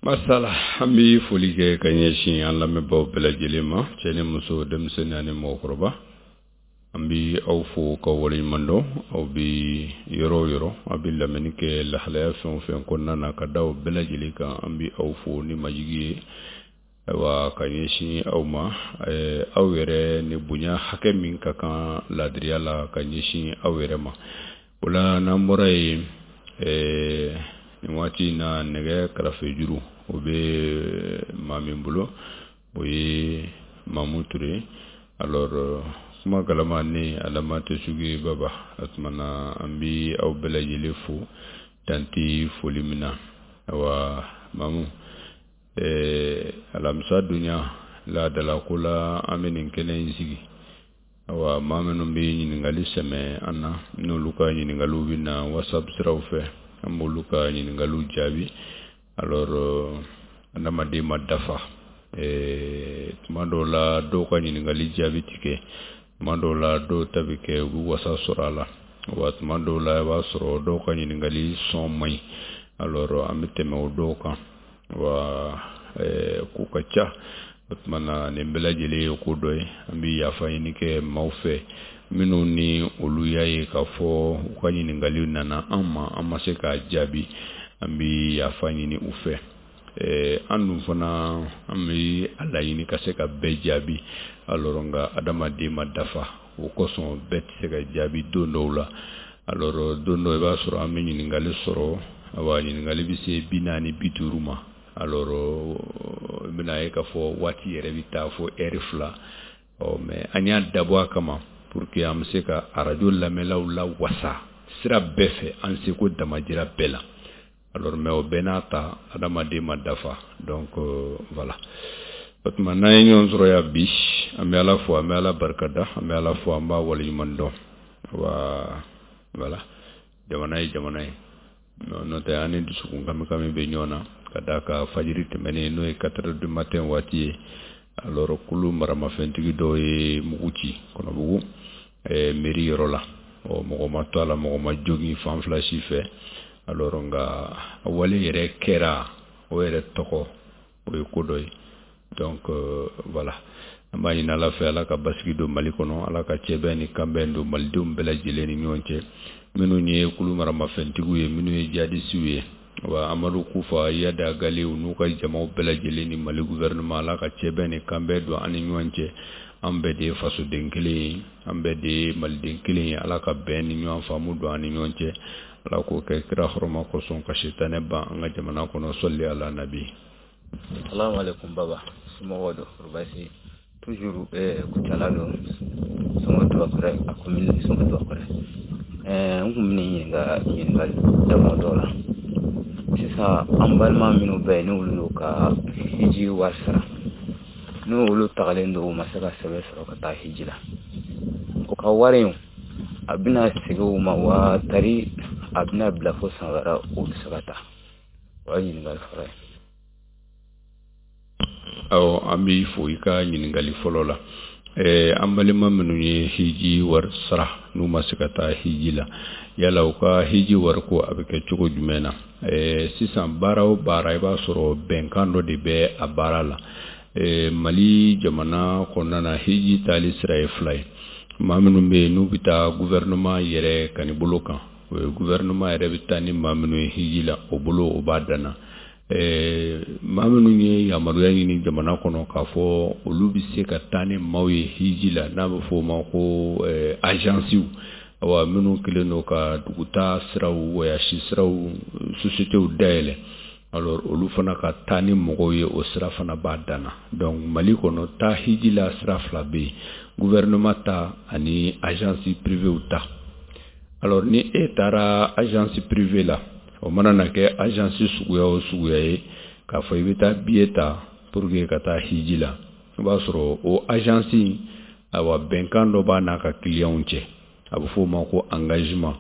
Masala, an bɛ foli kɛ ka ɲɛsin an lamɛnbaaw bɛɛ lajɛlen ma, cɛ ni muso, denmisɛnnin ani mɔgɔkɔrɔba. An bɛ aw fo ka waleɲuman dɔn. Aw bɛ yɔrɔ o yɔrɔ, aw bɛ lamɛnni kɛ lahalaya fɛn o fɛn kɔnɔna na, ka da o bɛɛ lajɛlen kan, an bɛ aw fo ni majigi ye. Ayiwa, ka ɲɛsin aw ma, aw yɛrɛ ni bonya hakɛ min ka kan laadiriya la ka ɲɛsin aw yɛrɛ ma. O la, n'an bɔra yen, nin waati in na, nɛgɛ karafejuru o bɛ maa min bolo, o ye Mamu Ture. Alors, kuma galama ni adama tɛ sugu ye baba. O tuma na, an bɛ aw bɛɛ lajɛlen fo danti foli min na. Ayiwa Mamu, alamisa dunya laadala ko la, an bɛ nin kɛnɛ in sigi. Awa, maa minnu bɛ ɲininkali sɛmɛ an na, n'olu ka ɲininkaliw bɛ na WhatsApp siraw fɛ, an b'olu ka ɲininkaliw jaabi. Alors, adamaden ma dafa. Tuma dɔw la, dɔw ka ɲininkali jaabi ti kɛ. Tuma dɔw la, dɔw ta bɛ kɛ, u bɛ wasa sɔrɔ a la. Wa tuma dɔw la, i b'a sɔrɔ dɔw ka ɲininkali sɔn man ɲi. Alors, an bɛ tɛmɛ o dɔw kan. Wa ko ka ca. O tuma na, nin bɛɛ lajɛlen ye ko dɔ ye. An bɛ yafa ɲini kɛ maaw fɛ minnu ni olu y'a ye k'a fɔ u ka ɲininkali nana an ma, an ma se k'a jaabi, an bɛ yafa ɲini u fɛ. An dun fana, an bɛ a laɲini ka se ka bɛɛ jaabi. Alors, nka adamaden ma dafa, o kosɔn bɛɛ tɛ se ka jaabi don dɔw la. Alors, don dɔ, i b'a sɔrɔ an bɛ ɲininkali sɔrɔ, awa, ɲininkali bɛ se 40, 50 ma. Alors, i bɛna ye k'a fɔ waati yɛrɛ bɛ taa fo ɛri 2. Ɔ, mais an y'a dabɔ a kama pour que an bɛ se ka arajo lamɛnlaw la wasa sira bɛɛ fɛ, an seko damajira bɛɛ la. Alors, mais o bɛɛ n'a ta, adamaden ma dafa. Donc voilà, o tuma, n'an ye ɲɔgɔn sɔrɔ yan bi, an bɛ Ala fo, an bɛ Ala barikada, an bɛ Ala fo, an b'a waleɲuman dɔn. Wa voilà, jamana ye jamana ye, n'o tɛ an ni dusukun kami kami bɛ ɲɔgɔn na ka d'a kan fajiri tɛmɛnen, n'o ye 4 heures du matin waati ye. Alors, kulu maramafɛntigi dɔw ye mugu ci Kɔnɔbugu mairie yɔrɔ la. Ɔ, mɔgɔ ma to a la, mɔgɔ ma jogin fan fila si fɛ. Alors, nka a wale yɛrɛ kɛra, o yɛrɛ tɔgɔ, o ye ko dɔ ye. Donc voilà, an b'a ɲini Ala fɛ, Ala ka basigi don Mali kɔnɔ, Ala ka cɛbɛn ni kanbɛn don malidenw bɛɛ lajɛlen ni ɲɔgɔn cɛ. Minnu ye kulu maramafɛntigiw ye, minnu ye jihadisiw ye, wa Amadu Kufa, Iyad Ag Ghali n'u ka jamaw bɛɛ lajɛlen ni Mali gouvernement, Ala ka cɛbɛn ni kanbɛn don an ni ɲɔgɔn cɛ. An bɛɛ de ye fasoden kelen ye, an bɛɛ de ye maliden kelen ye. Ala ka bɛn ni ɲɔgɔn faamu don an ni ɲɔgɔn cɛ. Ala k'o kɛ kira hɔrɔma kosɔn, ka sitanɛ ban an ka jamana kɔnɔ. Sɔli ala nabi. Salamu alaikum baba, somɔgɔw don? Baasi toujours? Kucala don, Sɔngɔ Tubakɔrɔ, a commune Sɔngɔ Tubakɔrɔ. N kun bɛna ɲininka ɲininkali damadɔ la sisan. An balima minnu bɛ yen, n'olu y'u ka hiji wari sara, n'olu tagalen don, u ma se ka sɛbɛn sɔrɔ ka taa hiji la, o ka wari in, a bɛna segin u ma wa, tari a bɛna bila fo san wɛrɛ u bɛ se ka taa? O ye ɲininkali fɔlɔ ye. Awɔ, an b'i fo i ka ɲininkali fɔlɔ la. An balima minnu ye hiji wari sara, n'u ma se ka taa hiji la, yala u ka hiji wari ko, a bɛ kɛ cogo jumɛn na? Sisan, baara o baara, i b'a sɔrɔ bɛnkan dɔ de bɛ a baara la. Mali jamana kɔnɔna na, hiji taali sira ye fila ye. Maa minnu bɛ yen n'u bɛ taa gouvernement yɛrɛ kani bolo kan, o ye gouvernement yɛrɛ bɛ taa ni maa minnu ye hiji la, o bolo, o b'a danna. Maa minnu ye yamaruya ɲini jamana kɔnɔ k'a fɔ olu bɛ se ka taa ni maaw ye hiji la, n'a bɛ fɔ o ma ko agensiw, awa, minnu kɛlen don ka dugutaa siraw, voyage siraw, sociétéw dayɛlɛ, alors olu fana ka taa ni mɔgɔw ye, o sira fana b'a danna. Donc Mali kɔnɔ, taa hiji la sira fila bɛ yen: gouvernement ta ani agence privéw ta. Alors, ni e taara agence privée la, o mana na kɛ agence suguya o suguya ye, k'a fɔ i bɛ taa billet ta pour que ka taa hiji la, i b'a sɔrɔ o agence, ayiwa, bɛnkan dɔ b'a n'a ka clientw cɛ, a bɛ f'o ma ko engagement,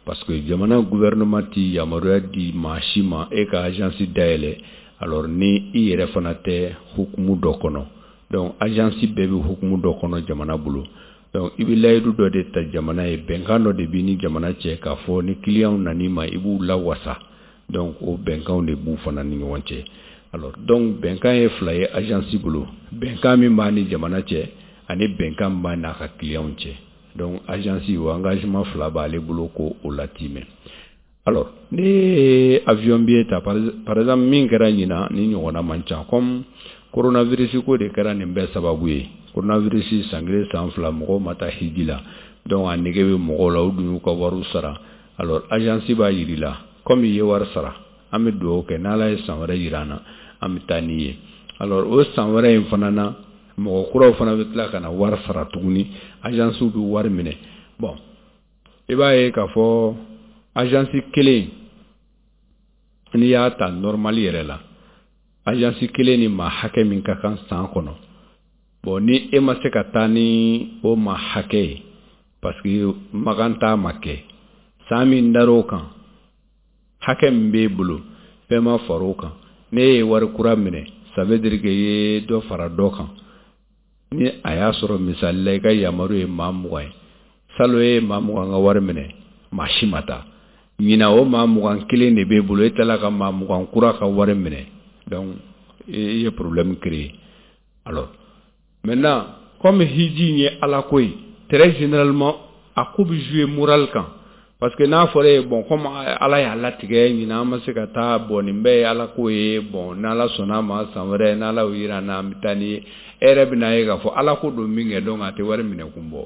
parce que jamana gouvernement ti yamaruya di maa si ma e ka agence dayɛlɛ, alors ni i yɛrɛ fana tɛ hukumu dɔ kɔnɔ. Donc agence bɛɛ bɛ hukumu dɔ kɔnɔ jamana bolo. Donc i bɛ layidu dɔ de ta jamana ye, bɛnkan dɔ de b'i ni jamana cɛ k'a fɔ ni client nan'i ma, i b'u lawasa. Donc o bɛnkanw de b'u fana ni ɲɔgɔn cɛ. Alors donc bɛnkan ye fila ye agence bolo, bɛnkan min b'a ni jamana cɛ ani bɛnkan min b'a n'a ka clients cɛ. Donc agence, o engagement fila b'ale bolo ko o latimɛ. Alors ne ye avion billet ta, par exemple, min kɛra ɲinan, ni ɲɔgɔnna man ca, comme coronavirus ko de kɛra nin bɛɛ sababu ye. Coronavirus, san kelen, san fila, mɔgɔw ma taa hiji la, donc a nege bɛ mɔgɔw la, u dun y'u ka wariw sara. Alors agence b'a yir'i la, comme i ye wari sara, an bɛ dugawu kɛ, n'Ala ye san wɛrɛ yira an na, an bɛ taa n'i ye. Alors o san wɛrɛ in fana na, mɔgɔ kuraw fana bɛ tila ka na wari sara tuguni, agence bɛ wari minɛ. Bon, i b'a ye k'a fɔ agence kelen, n'i y'a ta normal yɛrɛ la, agence kelen ni maa hakɛ min ka kan san kɔnɔ, bon, ni e ma se ka taa ni o maa hakɛ ye, parce que Makan t'a ma kɛ, san min dar'o kan, hakɛ min b'e bolo, fɛn ma far'o kan, ne ye wari kura minɛ, ça veut dire que i ye dɔ fara dɔ kan. Ni a y'a sɔrɔ, misali la, i ka yamaru ye maa 20 ye, salon e ye maa 20 ka wari minɛ, maa si ma taa. Ɲinan, o maa 21 de b'e bolo, e tilala ka maa 20 kura ka wari minɛ, donc i ye problème créer. Alors maintenant, comme hiji in ye Ala ko ye, très généralement a ko bɛ jouer moral kan, parce que n'a fɔra e ye, bon, comme Ala y'a latigɛ, ɲinan an ma se ka taa, bon, nin bɛɛ ye Ala ko ye, bon, n'Ala sɔnna a ma, san wɛrɛ, n'Ala y'o yira an na, an bɛ taa n'i ye. E yɛrɛ bɛna ye k'a fɔ Ala ko don min kɛ, donc a tɛ wari minɛ kun bɔ,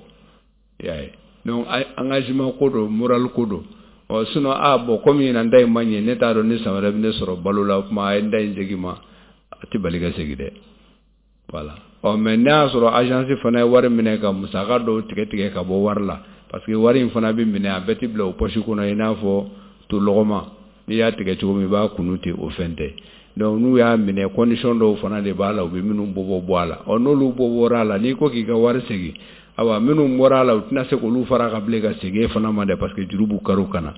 i y'a ye. Donc engagement ko don, moral ko don. Ɔ sinon, ah bon, comme ɲinan ta in ma ɲɛ, ne t'a dɔn ni san wɛrɛ bɛ ne sɔrɔ balo la, o tuma a ye n da in segin ma, a tɛ bali ka segin dɛ, voilà. Ɔ mais n'a y'a sɔrɔ agence fana ye wari minɛ ka musaka dɔw tigɛ tigɛ ka bɔ wari la, parce que wari in fana bɛ minɛ, a bɛɛ tɛ bila o poche kɔnɔ, i n'a fɔ to lɔgɔma, n'i y'a tigɛ cogo min, i b'a kunu ten, o fɛn tɛ. Donc n'u y'a minɛ, condition dɔw fana de b'a la, u bɛ minnu bɔ bɔ a la. Ɔ n'olu bɔ bɔra a la, n'i ko k'i ka wari segin, awa, minnu bɔra a la, u tɛna se k'olu fara ka bilen ka segin e fana ma dɛ, parce que juru b'u kari u kana.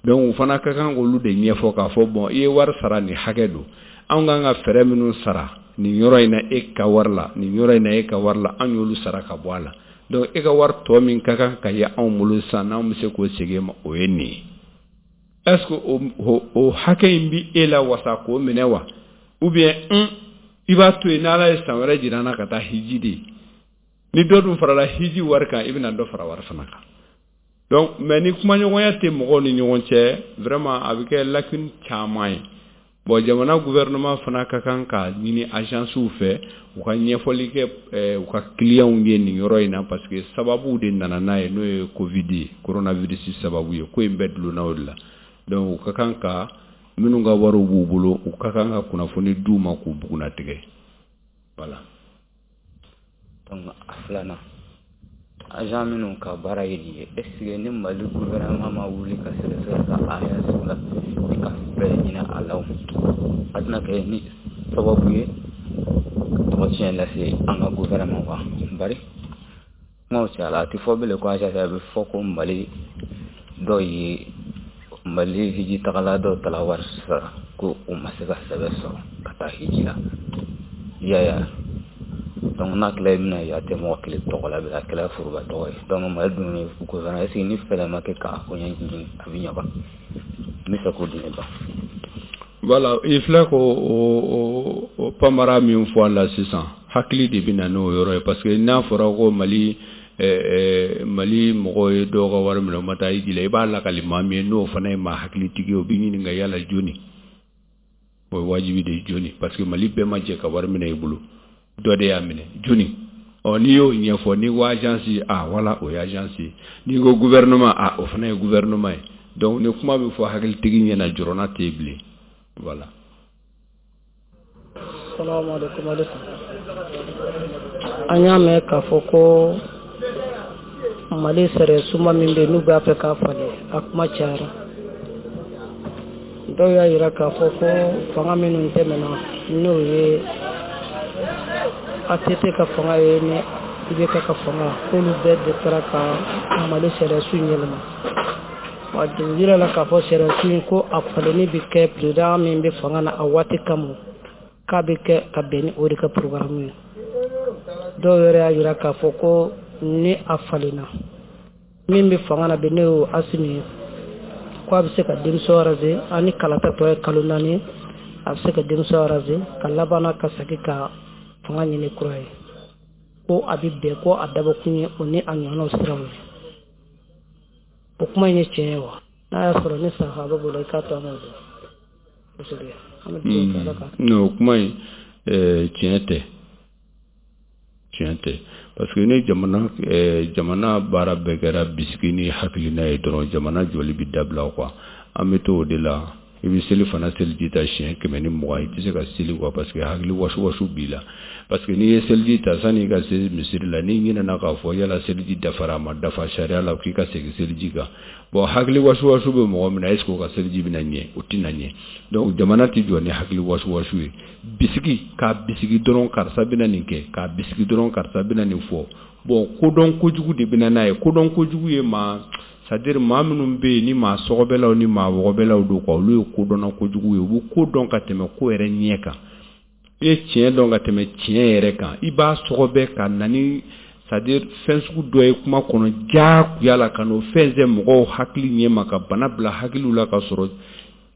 Donc u fana ka kan k'olu de ɲɛfɔ k'a fɔ, bon, i ye wari sara, nin hakɛ don, anw kan ka fɛɛrɛ minnu sara nin yɔrɔ in na e ka wari la, nin yɔrɔ in na e ka wari la, an y'olu sara ka bɔ a la. Donc e ka wari tɔ min ka kan ka ye anw bolo sisan, n'anw bɛ se k'o segin e ma, o ye nin ye. Est ce que o hakɛ in bi e la wasa k'o minɛ wa, ou bien i b'a to yen, n'Ala ye san wɛrɛ jira an na ka taa hiji de? Ni dɔ dun farala hiji wari kan, i bɛna dɔ fara wari fana kan. Donc mais ni kumaɲɔgɔnya tɛ mɔgɔw ni ɲɔgɔn cɛ, vraiment a bɛ kɛ lacune caman ye. Bon, jamana gouvernement fana ka kan ka ɲini agences fɛ, u ka ɲɛfɔli kɛ u ka clients ye nin yɔrɔ in na, parce que sababu de nana n'a ye, n'o ye Covid ye, coronavirus sababu ye, ko in bɛɛ dulonna o de la. Donc u ka kan ka minnu ka wariw b'u bolo, u ka kan ka kunnafoni d'u ma k'u bugunnatigɛ, voilà. Donc a filanan, agent minnu ka baara ye nin ye, est ce que ni Mali gouvernement ma wuli ka sɛgɛsɛgɛ ka agence la ni ka fɛɛrɛ ɲini a la, a tɛna kɛ ni sababu ye tɔgɔ tiɲɛ lase an ka gouvernement wa? Bari kumaw cayala, a tɛ fɔ bilen ko agence, a bɛ fɔ ko Mali dɔw ye Mali hiji tagala dɔw tala wari sara ko u ma se ka sɛbɛn sɔrɔ ka taa hiji la, i y'a ye. Donc n'a kɛla, i bɛna ye a tɛ mɔgɔ kelen tɔgɔ la bilen, a kɛla foroba tɔgɔ ye. Donc Mali dun ye gouvernement, est ce que ni fɛɛrɛ ma kɛ k'a ko ɲɛɲini, a bɛ ɲɛ wa? N bɛ fɛ k'o di ne ba. Voilà, i filɛ ko o pamara min fɔ a la sisan, hakili de bɛ na n'o yɔrɔ ye, parce que n'a fɔra ko Mali mɔgɔw ye dɔw ka wari minɛ, u ma taa hiji la, i b'a lakali maa min ye, n'o fana ye maa hakilitigi ye, o b'i ɲininka yala joni. O ye wajibi de ye, joni, parce que Mali bɛɛ ma jɛ ka wari minɛ i bolo, dɔ de y'a minɛ, joni. Ɔ n'i y'o ɲɛfɔ, n'i ko agence, ah voilà, o ye agence ye, n'i ko gouvernement, ah, o fana ye gouvernement ye. Donc ni kuma bɛ fɔ hakilitigi ɲɛna, jɔrɔna tɛ yen bilen, voilà. Salamu alaikum. Alisa, an y'a mɛn k'a fɔ ko Mali sariya sunba min bɛ yen, n'u b'a fɛ k'a falen, a kuma cayara. Dɔw y'a yira k'a fɔ ko fanga minnu tɛmɛna, n'o ye ATT ka fanga ye ni IBK ka fanga, k'olu bɛɛ de taara ka Mali sariya sun yɛlɛma wa. Yira la k'a fɔ sariya sun in, ko a falenni bɛ kɛ président min bɛ fanga na a waati kama, k'a bɛ kɛ ka bɛn ni o de ka programme ye. Dɔw yɛrɛ y'a yira k'a fɔ ko ni a falenna, min bɛ fanga na bi, n'o ye Asimi ye. Ko a bɛ se ka démission raser, ani kalata tɔ ye kalo 4 ye, a bɛ se ka démission raser ka laban ka segin ka fanga ɲini kura ye, ko a bɛ bɛn, ko a dabɔkun ye o ni a ɲɔgɔnnaw siraw ye. O kuma in ye tiɲɛ ye wa? N'a y'a sɔrɔ ni sahaba bolo, i k'a to an k'o dɔn kosɛbɛ. An bɛ dugawu kɛ Ala ka. O kuma in, tiɲɛ tɛ, tiɲɛ tɛ, parce que ni jamana baara bɛɛ kɛra bisigi ni hakilina ye dɔrɔn, jamana jɔli bɛ dabila quoi. An bɛ to o de la. I bɛ seli fana, seliji ta siɲɛ 120, i tɛ se ka seli quoi, parce que hakili wasu wasu b'i la. Parce que n'i ye seliji ta, sanni i ka se misiri la, n'i ɲinɛna k'a fɔ yala seliji dafara, a ma dafa sariya la, k'i ka segin seliji kan. Bon, hakili wasu wasu bɛ mɔgɔ min na, est ce que o ka seliji bɛna ɲɛ? O tɛna ɲɛ. Donc jamana tɛ jɔ ni hakili wasu wasu ye. Bisigi k'a bisigi dɔrɔn, karisa bɛna nin kɛ, k'a bisigi dɔrɔn, karisa bɛna nin fɔ. Bon, kodɔn kojugu de bɛna n'a ye. Kodɔn kojugu ye maa, c'est à dire maa minnu bɛ yen ni maa sɔgɔbɛlaw ni maa wɔgɔbɛlaw don quoi, olu ye kodɔnna kojugu ye. U bɛ ko dɔn ka tɛmɛ ko yɛrɛ ɲɛ kan. I ye tiɲɛ dɔn ka tɛmɛ tiɲɛ yɛrɛ kan, i b'a sɔgɔbɛ ka na ni, c'est à dire fɛn sugu dɔ ye kuma kɔnɔ diyagoya la, ka n'o fɛn sɛ mɔgɔw hakili ɲɛ ma, ka bana bila hakiliw la, ka sɔrɔ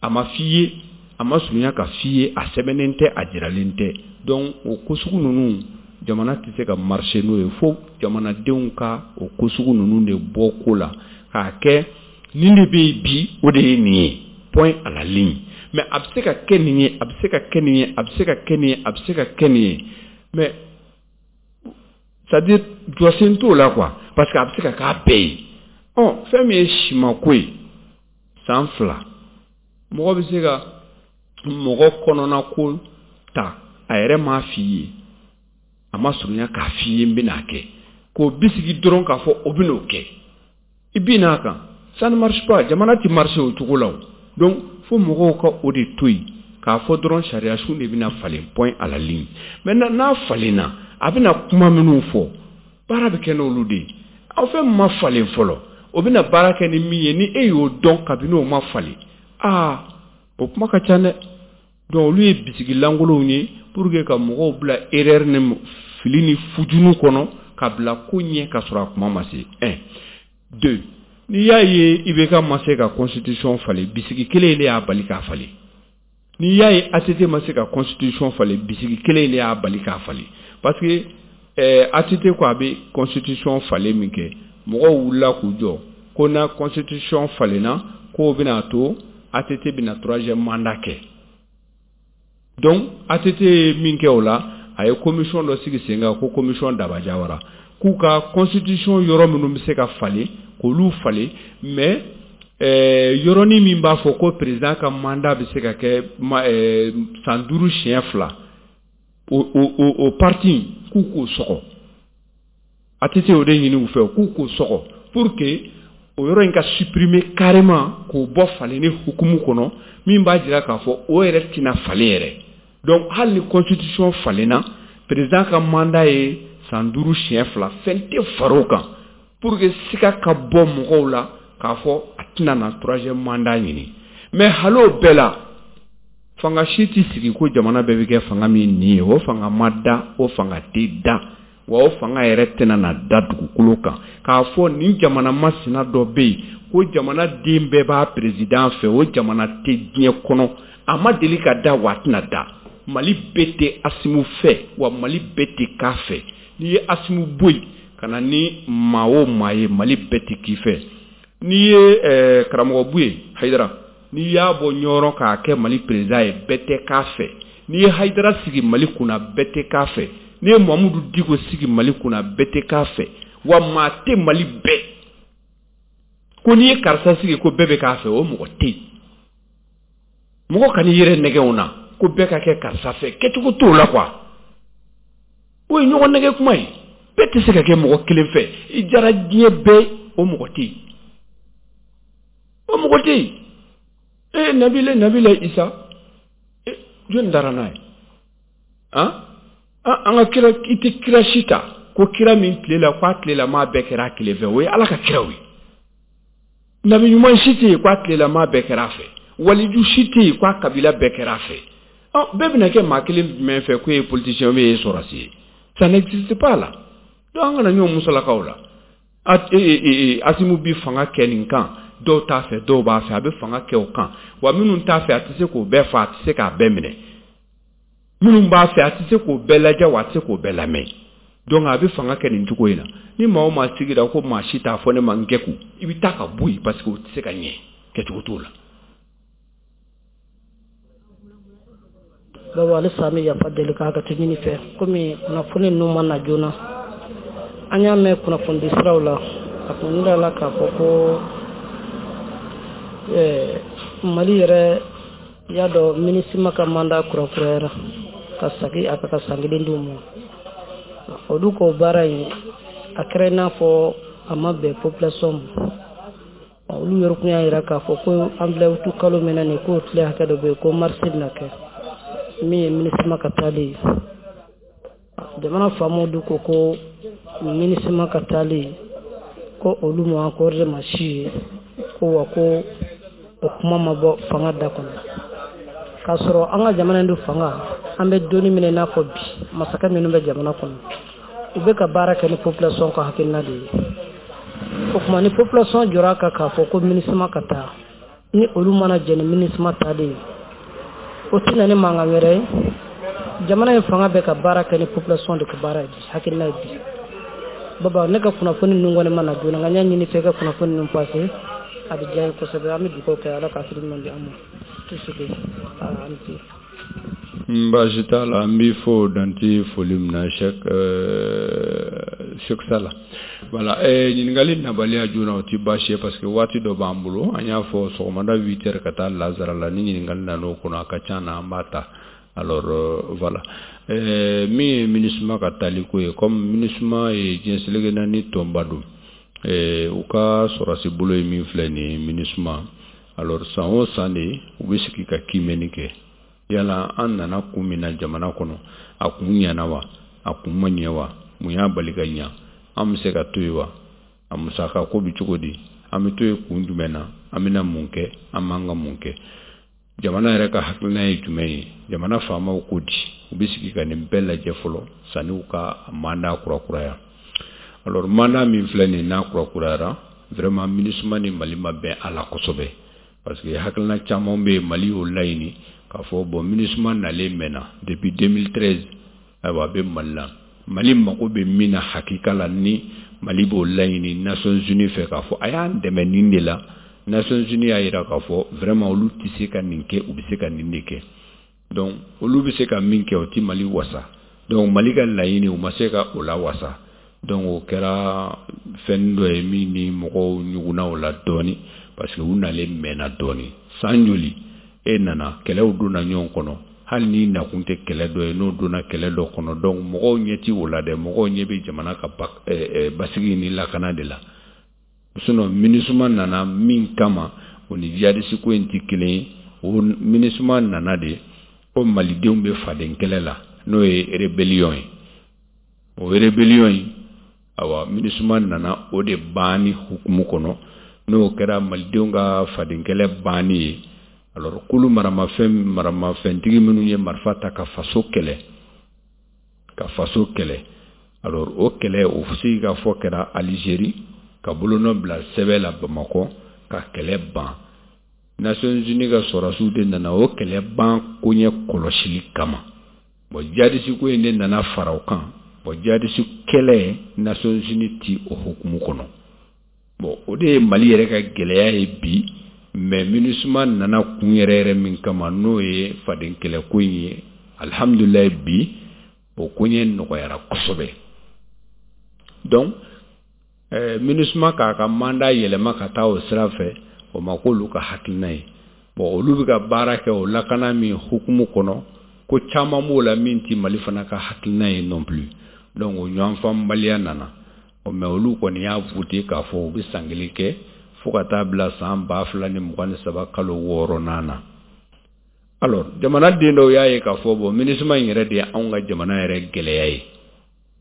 a ma f'i ye, a ma surunya ka f'i ye, a sɛbɛnnen tɛ, a jiralen tɛ. Donc o ko sugu ninnu, jamana tɛ se ka marcher n'o ye, fo jamanadenw ka o ko sugu ninnu de bɔ ko la k'a kɛ nin de bɛ yen bi, o de ye nin ye, point à la ligne. Mais a bɛ se ka kɛ nin ye, a bɛ se ka kɛ nin ye, a bɛ se ka kɛ nin ye, a bɛ se ka kɛ nin ye, mais c'est à dire jɔsen t'o la quoi, parce que a bɛ se ka k'a bɛɛ ye. Ɔ, fɛn min ye simako ye, san 2, mɔgɔ bɛ se ka mɔgɔ kɔnɔna ko ta, a yɛrɛ m'a f'i ye, a ma surunya k'a f'i ye n bɛn'a kɛ, k'o bisigi dɔrɔn k'a fɔ o bɛn'o kɛ, i bin n'a kan, ça ne marche pas. Jamana tɛ marcher o cogo la o. Donc fo mɔgɔw ka o de to yen k'a fɔ dɔrɔn sariya sun de bɛna falen, point à la ligne. Maintenant, n'a falenna, a bɛna kuma minnu fɔ, baara bɛ kɛ n'olu de ye. Aw fɛn min ma falen fɔlɔ, o bɛna baara kɛ ni min ye, ni e y'o dɔn kabini o ma falen, aa, o kuma ka ca dɛ. Donc olu ye bisigi lankolonw ye pour que ka mɔgɔw bila erreur ni fili ni fujunu kɔnɔ, ka bila ko ɲɛ ka sɔrɔ a kuma ma se. Un, deux, n'i y'a ye IBK ma se ka constitution falen, bisigi kelen de y'a bali k'a falen. N'i y'a ye ATT ma se ka constitution falen, bisigi kelen de y'a bali k'a falen, parce que ATT ko a bɛ constitution falen min kɛ, mɔgɔw wulila k'u jɔ ko na constitution falenna, k'o bɛna to ATT bɛna troisième mandat kɛ. Donc ATT ye min kɛ o la, a ye commission dɔ sigi sen kan, ko commission Daba Jawara, k'u ka constitution yɔrɔ minnu bɛ se ka falen, k'olu falen, mais yɔrɔnin min b'a fɔ ko président ka mandat bɛ se ka kɛ san 5 siɲɛ 2, o parti, k'u k'o sɔgɔ. ATT o de ɲini u fɛ, k'u k'o sɔgɔ pour que o yɔrɔ in ka supprimer carrément, k'o bɔ falenni hukumu kɔnɔ, min b'a jira k'a fɔ o yɛrɛ tɛna falen yɛrɛ. Donc hali ni constitution falenna, président ka mandat ye san 5 siɲɛ 2, fɛn tɛ far'o kan, pour que siga ka bɔ mɔgɔw la k'a fɔ a tɛna na troisième mandat ɲini. Mais hali o bɛɛ la, fanga si tɛ sigi ko jamana bɛɛ bɛ kɛ fanga min nin ye. O fanga ma da, o fanga tɛ da wa, o fanga yɛrɛ tɛna na da dugukolo kan k'a fɔ nin jamana masina dɔ bɛ yen ko jamana den bɛɛ b'a président fɛ. O jamana tɛ diɲɛ kɔnɔ, a ma deli ka da, wa a tɛna da. Mali bɛɛ tɛ Asimu fɛ, wa Mali bɛɛ tɛ k'a fɛ. N'i ye Asimu bɔ yen ka na ni maa o maa ye, Mali bɛɛ tɛ k'i fɛ. N'i ye karamɔgɔ Buye Hayidara, n'i y'a bɔ Ɲɔrɔ k'a kɛ Mali président ye, bɛɛ tɛ k'a fɛ. N'i ye Hayidara sigi Mali kunna, bɛɛ tɛ k'a fɛ. N'i ye Mamudu Diko sigi Mali kunna, bɛɛ tɛ k'a fɛ. Wa maa tɛ Mali bɛɛ ko n'i ye karisa sigi ko bɛɛ bɛ k'a fɛ, o mɔgɔ tɛ yen. Mɔgɔ kan'i yɛrɛ nɛgɛ na ko bɛɛ ka kɛ karisa fɛ, kɛcogo t'o la quoi. O ye ɲɔgɔn nɛgɛ kuma ye. Bɛɛ tɛ se ka kɛ mɔgɔ kelen fɛ. I jara diɲɛ bɛɛ, o mɔgɔ tɛ yen, o mɔgɔ tɛ yen. Ee, Nabila Isa, jɔnni dara n'a ye? Han, an ka kira, i tɛ kira si ta ko kira min tile la k'a tile la maa bɛɛ kɛra a kelen fɛ, o ye Ala ka kiraw ye. Nabi ɲuman si tɛ yen k'a tile la maa bɛɛ kɛra a fɛ. Waliju si tɛ yen k'a kabila bɛɛ kɛra a fɛ. Ɔ, bɛɛ bɛna kɛ maa kelen jumɛn fɛ, k'o ye politicien ou ye sɔrɔdasi ye? Ça n'existe pas là. Donc an kana ɲɔgɔn musalakaw la. Asimu bi fanga kɛ nin kan. Dɔw t'a fɛ, dɔw b'a fɛ, a bɛ fanga kɛ o kan. Wa minnu t'a fɛ, a tɛ se k'o bɛɛ fa, a tɛ se k'a bɛɛ minɛ. Minnu b'a fɛ, a tɛ se k'o bɛɛ lajɛ, wa a tɛ se k'o bɛɛ lamɛn. Donc a bɛ fanga kɛ nin cogo in na. Ni maa o maa sigira ko maa si t'a fɔ ne ma n kɛku, i bɛ taa ka bɔ yen, parce que o tɛ se ka ɲɛ, kɛcogo t'o la. Baba, halisa an bɛ yafa deli ka hakɛto ɲini fɛ, komi kunnafoni ninnu ma na joona. An y'a mɛn kunnafonidi siraw la, a kun yirala k'a fɔ ko Mali yɛrɛ y'a dɔn MINUSMA ka mandat kurakurayara ka sagi a ka san kelen d'u ma. Olu ko baara in a kɛra i n'a fɔ a ma bɛn population ma. Olu yɛrɛ kun y'a jira k'a fɔ ko an filɛ uti kalo min na nin, k'o tile hakɛ dɔ bɛ yen ko marche bɛna kɛ min ye MINUSMA ka taali ye. Jamana faamaw dun ko ko MINUSMA ka taali ko olu ma accordé ma si ye, ko wa ko o kuma ma bɔ fanga da kɔnɔ. K'a sɔrɔ an ka jamana in dun fanga, an bɛ donni min na i n'a fɔ bi, masakɛ minnu bɛ jamana kɔnɔ, u bɛ ka baara kɛ ni population ka hakilina de ye. O tuma ni population jɔra a kan k'a fɔ ko MINUSMA ka taa, ni olu mana jɛ ni MINUSMA taalen ye, o tɛ na ni mankan wɛrɛ ye. Jamana in fanga bɛ ka baara kɛ ni population de ka baara ye bi, hakilina ye bi. Baba, ne ka kunnafoni ninnu kɔni ma na joona, nka n y'a ɲini fɛ i ka kunnafoni ninnu passer, a bɛ diya n ye kosɛbɛ. An bɛ dugawu kɛ, Ala ka hakili ɲuman di an ma. Tout ce que ani ce. Baasi t'a la, an b'i fo dante foli min na, Cheikh Sala. Voilà, ɲininkali nabaliya joona, o tɛ baasi ye, parce que waati dɔ b'an bolo. An y'a fɔ sɔgɔmada 8 heures ka taa lazara la, ni ɲininkali nan'o kɔnɔ, a ka ca na, an b'a ta. Alors voilà, min ye MINUSMA ka taali ko ye, comme MINUSMA ye diɲɛ seleke naani tɔnba don, u ka sɔrɔsi bolo ye min filɛ nin ye, MINUSMA. Alors san o san de u bɛ sigi ka kiimɛni kɛ, yala an nana kun min na jamana kɔnɔ, a kun ɲɛna wa, a kun ma ɲɛ wa, mun y'a bali ka ɲɛ, an bɛ se ka to yen wa, a musaka ko bɛ cogo di, an bɛ to yen kun jumɛn na, an bɛna mun kɛ, an man ka mun kɛ, jamana yɛrɛ ka hakilina ye jumɛn ye, jamana faamaw ko di. U bɛ sigi ka nin bɛɛ lajɛ fɔlɔ sanni u ka mandat kurakuraya. Alors mandat min filɛ nin, n'a kurakurayara, vraiment MINUSMA ni Mali ma bɛn a la kosɛbɛ, parce que hakilina caman bɛ yen, Mali y'o laɲini k'a fɔ bon, MINUSMA nalen mɛnna depuis 2013, ayiwa, a bɛ Mali la. Mali mako bɛ min na hakika la, ni Mali b'o laɲini Nations Unies fɛ k'a fɔ a y'an dɛmɛ nin de la, Nations Unies y'a jira k'a fɔ vraiment olu tɛ se ka nin kɛ, u bɛ se ka nin de kɛ. Donc olu bɛ se ka min kɛ, o tɛ Mali wasa. Donc Mali ka laɲini, u ma se ka o la wasa. Donc o kɛra fɛn dɔ ye min ni mɔgɔw ɲugunna o la dɔɔni, parce que u nalen mɛnna dɔɔni. San joli e nana, kɛlɛw donna ɲɔgɔn kɔnɔ, hali n'i nakun tɛ kɛlɛ dɔ ye, n'o donna kɛlɛ dɔ kɔnɔ. Donc mɔgɔw ɲɛ ti o la dɛ, mɔgɔw ɲɛ bɛ jamana ka basigi ni lakana de la. Sinon MINUSMA nana min kama, o ni jihadiste ko in tɛ kelen ye. O MINUSMA nana de ko malidenw bɛ faden kɛlɛ la, n'o ye rébellion ye. O rébellion in, awa, MINUSMA nana o de banni hukumu kɔnɔ. N'o kɛra malidenw ka faden kɛlɛ banni ye, alors kulu maramafɛntigi minnu ye marifa ta ka faso kɛlɛ, ka faso kɛlɛ, alors o kɛlɛ, o sigi ka fɔ kɛra Algérie, ka bolonɔ bila sɛbɛn la Bamakɔ ka kɛlɛ ban. Nations Unies ka sɔrɔdasiw de nana o kɛlɛ ban koɲɛ kɔlɔsili kama. Bon, jihadiste ko in de nana fara o kan. Bon, jihadiste kɛlɛ, Nations Unies ti o hukumu kɔnɔ. Bon, o de ye Mali yɛrɛ ka gɛlɛya ye bi. Mais MINUSMA nana kun yɛrɛ yɛrɛ min kama, n'o ye faden kɛlɛ ko in ye, alhamdulilayi, bi o koɲɛ nɔgɔyara kosɛbɛ. Donc MINUSMA k'a ka mandat yɛlɛma ka taa o sira fɛ, o ma k'olu ka hakilina ye. Bon, olu bɛ ka baara kɛ o lakana min hukumu kɔnɔ, ko caman b'o la min ti Mali fana ka hakilina ye non plus. Donc o ɲɔgɔnfaamubaliya nana. Mais olu kɔni y'a voté k'a fɔ u bɛ san kelen kɛ fo ka taa bila san 2023 kalo 6nan na. Alors jamanaden dɔw y'a ye k'a fɔ bon, MINUSMA in yɛrɛ de ye anw ka jamana yɛrɛ gɛlɛya ye,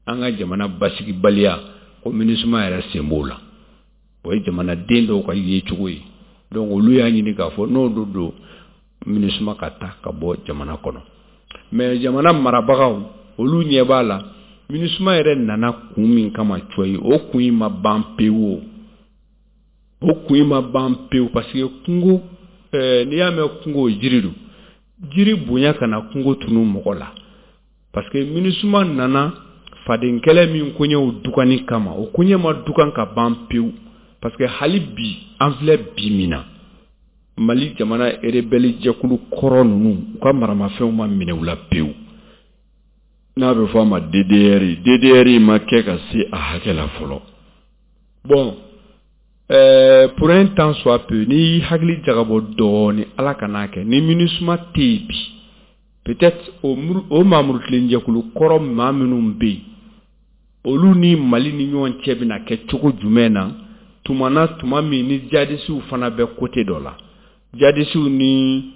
an ka jamana basigibaliya, ko MINUSMA yɛrɛ sen b'o la. O ye jamanaden dɔw ka yecogo ye. Donc olu y'a ɲini k'a fɔ n'o don, MINUSMA ka taa ka bɔ jamana kɔnɔ. Mais jamana marabagaw, olu ɲɛ b'a la, MINUSMA yɛrɛ nana kun min kama cɔyi, o kun in ma ban pewu. O kun in ma ban pewu, parce que kungo, n'i y'a mɛn kungo, jiri don. Jiri bonya kana kungo tunu mɔgɔ la, parce que MINUSMA nana fadenkɛlɛ min koɲɛw dugani kama, o koɲɛ ma dugan ka ban pewu, parce que hali bi an filɛ bi min na, Mali jamana rebelle jɛkulu kɔrɔ ninnu, u ka maramafɛnw ma minɛ u la pewu, n'a bɛ fɔ a ma DDR. DDR ma kɛ ka se a hakɛ la fɔlɔ. Bon, pour un tant soit peu, n'i hakili jagabɔ dɔɔni, Ala kan'a kɛ ni MINUSMA tɛ yen bi, peut-être o maamurutilen jɛkulu kɔrɔ maa minnu bɛ yen, olu ni Mali ni ɲɔgɔn cɛ bɛna kɛ cogo jumɛn na tuma na, tuma min ni jadisiw fana bɛ côté dɔ la? Jadisiw ni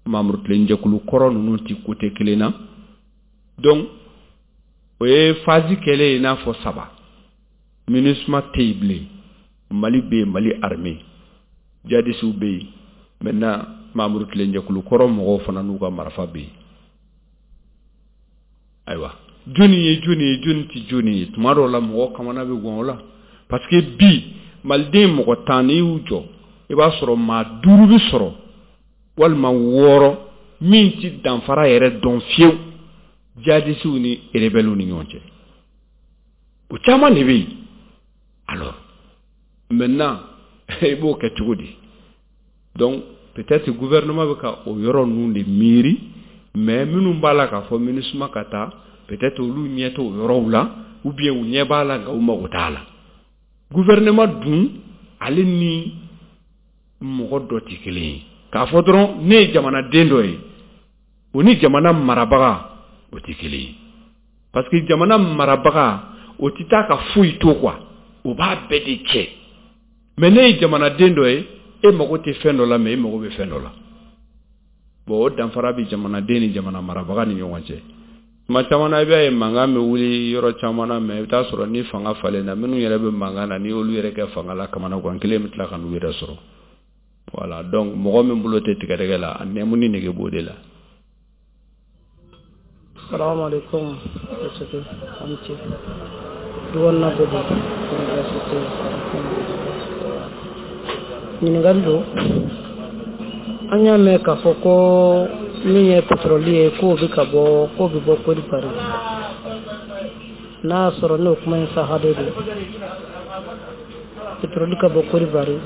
maamurutilen jɛkulu kɔrɔ ninnu tɛ côté kelen na. Donc o ye phase kɛlen ye i n'a fɔ saba: MINUSMA tɛ yen bilen, Mali bɛ yen, Mali armée, jadisiw bɛ yen, maintenant maamurutilen jɛkulu kɔrɔ mɔgɔw fana n'u ka marifa bɛ yen. Ayiwa, jɔnni ye jɔnni ye, jɔnni tɛ jɔnni ye? Tuma dɔw la, mɔgɔ kamana bɛ gan o la, parce que bi maliden mɔgɔ 10, n'i y'u jɔ, i b'a sɔrɔ maa duuru bɛ sɔrɔ walima wɔɔrɔ min ti danfara yɛrɛ dɔn fiyewu jadisiw ni rebelles ni ɲɔgɔn cɛ. O caman de bɛ yen. Alors maintenant, i b'o kɛ cogo di? Donc peut-être gouvernement bɛ ka o yɔrɔ ninnu de miiri, mais minnu b'a la k'a fɔ MINUSMA ka taa, peut-être olu ɲɛ t'o yɔrɔw la, ou bien u ɲɛ b'a la nka u mago t'a la. Gouvernement dun, ale ni mɔgɔ dɔ tɛ kelen ye. K'a fɔ dɔrɔn ne ye jamanaden dɔ ye, o ni jamana marabaga, o tɛ kelen ye, parce que jamana marabaga, o tɛ taa ka foyi to quoi, o b'a bɛɛ de cɛ. Mais ne ye jamanaden dɔ ye, e mago tɛ fɛn dɔ la, mais e mago bɛ fɛn dɔ la. Bon, o danfara bɛ jamanaden ni jamana marabaga ni ɲɔgɔn cɛ. Tuma caman na, i b'a ye mankan bɛ wuli yɔrɔ caman na, mais i bɛ taa sɔrɔ ni fanga falenna, minnu yɛrɛ bɛ mankan na, ni olu yɛrɛ kɛ fanga la, kamanagan kelen bɛ tila ka n'u yɛrɛ sɔrɔ. Voilà, donc mɔgɔ min bolo tɛ tigɛdɛgɛ la, a nɛmu ni nege b'o de la. Salamu alaikum, an ce duk wannan bɛ don université. Ɲininkali don: an y'a mɛn k'a fɔ ko min ye pétrole ye, k'o bɛ ka bɔ, k'o bɛ bɔ Côte d'Ivoire. N'a y'a sɔrɔ n'o kuma in saha de don, pétrole ka bɔ Côte d'Ivoire,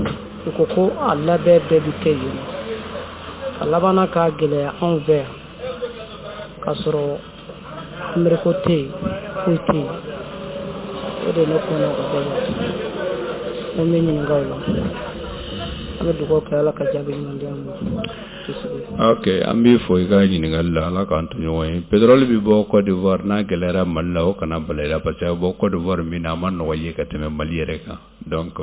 u ko ko a labɛn bɛɛ bɛ kɛ yen, a labanna k'a gɛlɛya anw fɛ yan, k'a sɔrɔ embargo tɛ yen, foyi tɛ yen. O de ye ne kɔnɔ ka bɛɛ la. N bɛ ɲininka o la. An bɛ dugawu kɛ, Ala ka jaabi ɲuman di an ma. Ok, an b'i fo i ka ɲininkali la. Ala k'an to ɲɔgɔn ye. Pétrole bɛ bɔ Côte d'Ivoire, n'a gɛlɛyara Mali la, o kana bala i la, parce que a bɛ bɔ Côte d'Ivoire min na, a ma nɔgɔ ye ka tɛmɛ Mali yɛrɛ kan. Donc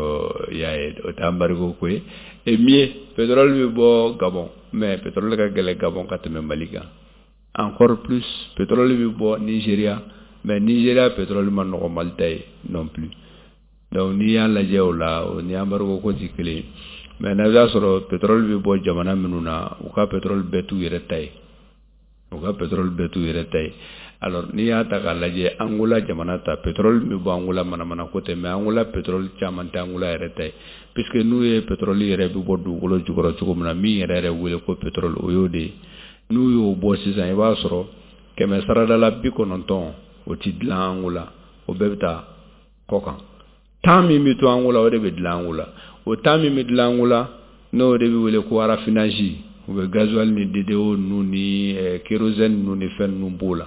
i y'a ye, o tɛ embargo ko ye. Et mieux, pétrole bɛ bɔ Gabon, mais pétrole ka gɛlɛn Gabon ka tɛmɛ Mali kan. Encore plus, pétrole bɛ bɔ Nigéria, mais Nigéria pétrole ma nɔgɔ Mali ta ye non plus. Donc n'i y'a lajɛ o la, o ni embargo ko tɛ kelen ye. Mais n'a y'a sɔrɔ pétrole bɛ bɔ jamana minnu na, u ka pétrole bɛɛ t'u yɛrɛ ta ye, u ka pétrole bɛɛ t'u yɛrɛ ta ye. Alors n'i y'a ta k'a lajɛ, Angola jamana ta, pétrole bɛ bɔ Angola, manamana ko tɛ, mais Angola pétrole caman tɛ Angola yɛrɛ ta ye, puisque n'u ye pétrole yɛrɛ bɛ bɔ dugukolo jukɔrɔ cogo min na, min yɛrɛ yɛrɛ wele ko pétrole, o y'o de ye. N'u y'o bɔ sisan, i b'a sɔrɔ kɛmɛ sarada la 90, o ti dilan Angola, o bɛɛ bɛ taa kɔ kan. 10 min bɛ to Angola, o de bɛ dilan Angola. O 10 min bɛ dilan Angola, n'o de bɛ wele ko raffinage, u bɛ gasoil ni DDO ninnu ni kérosène ninnu ni fɛn ninnu b'o la.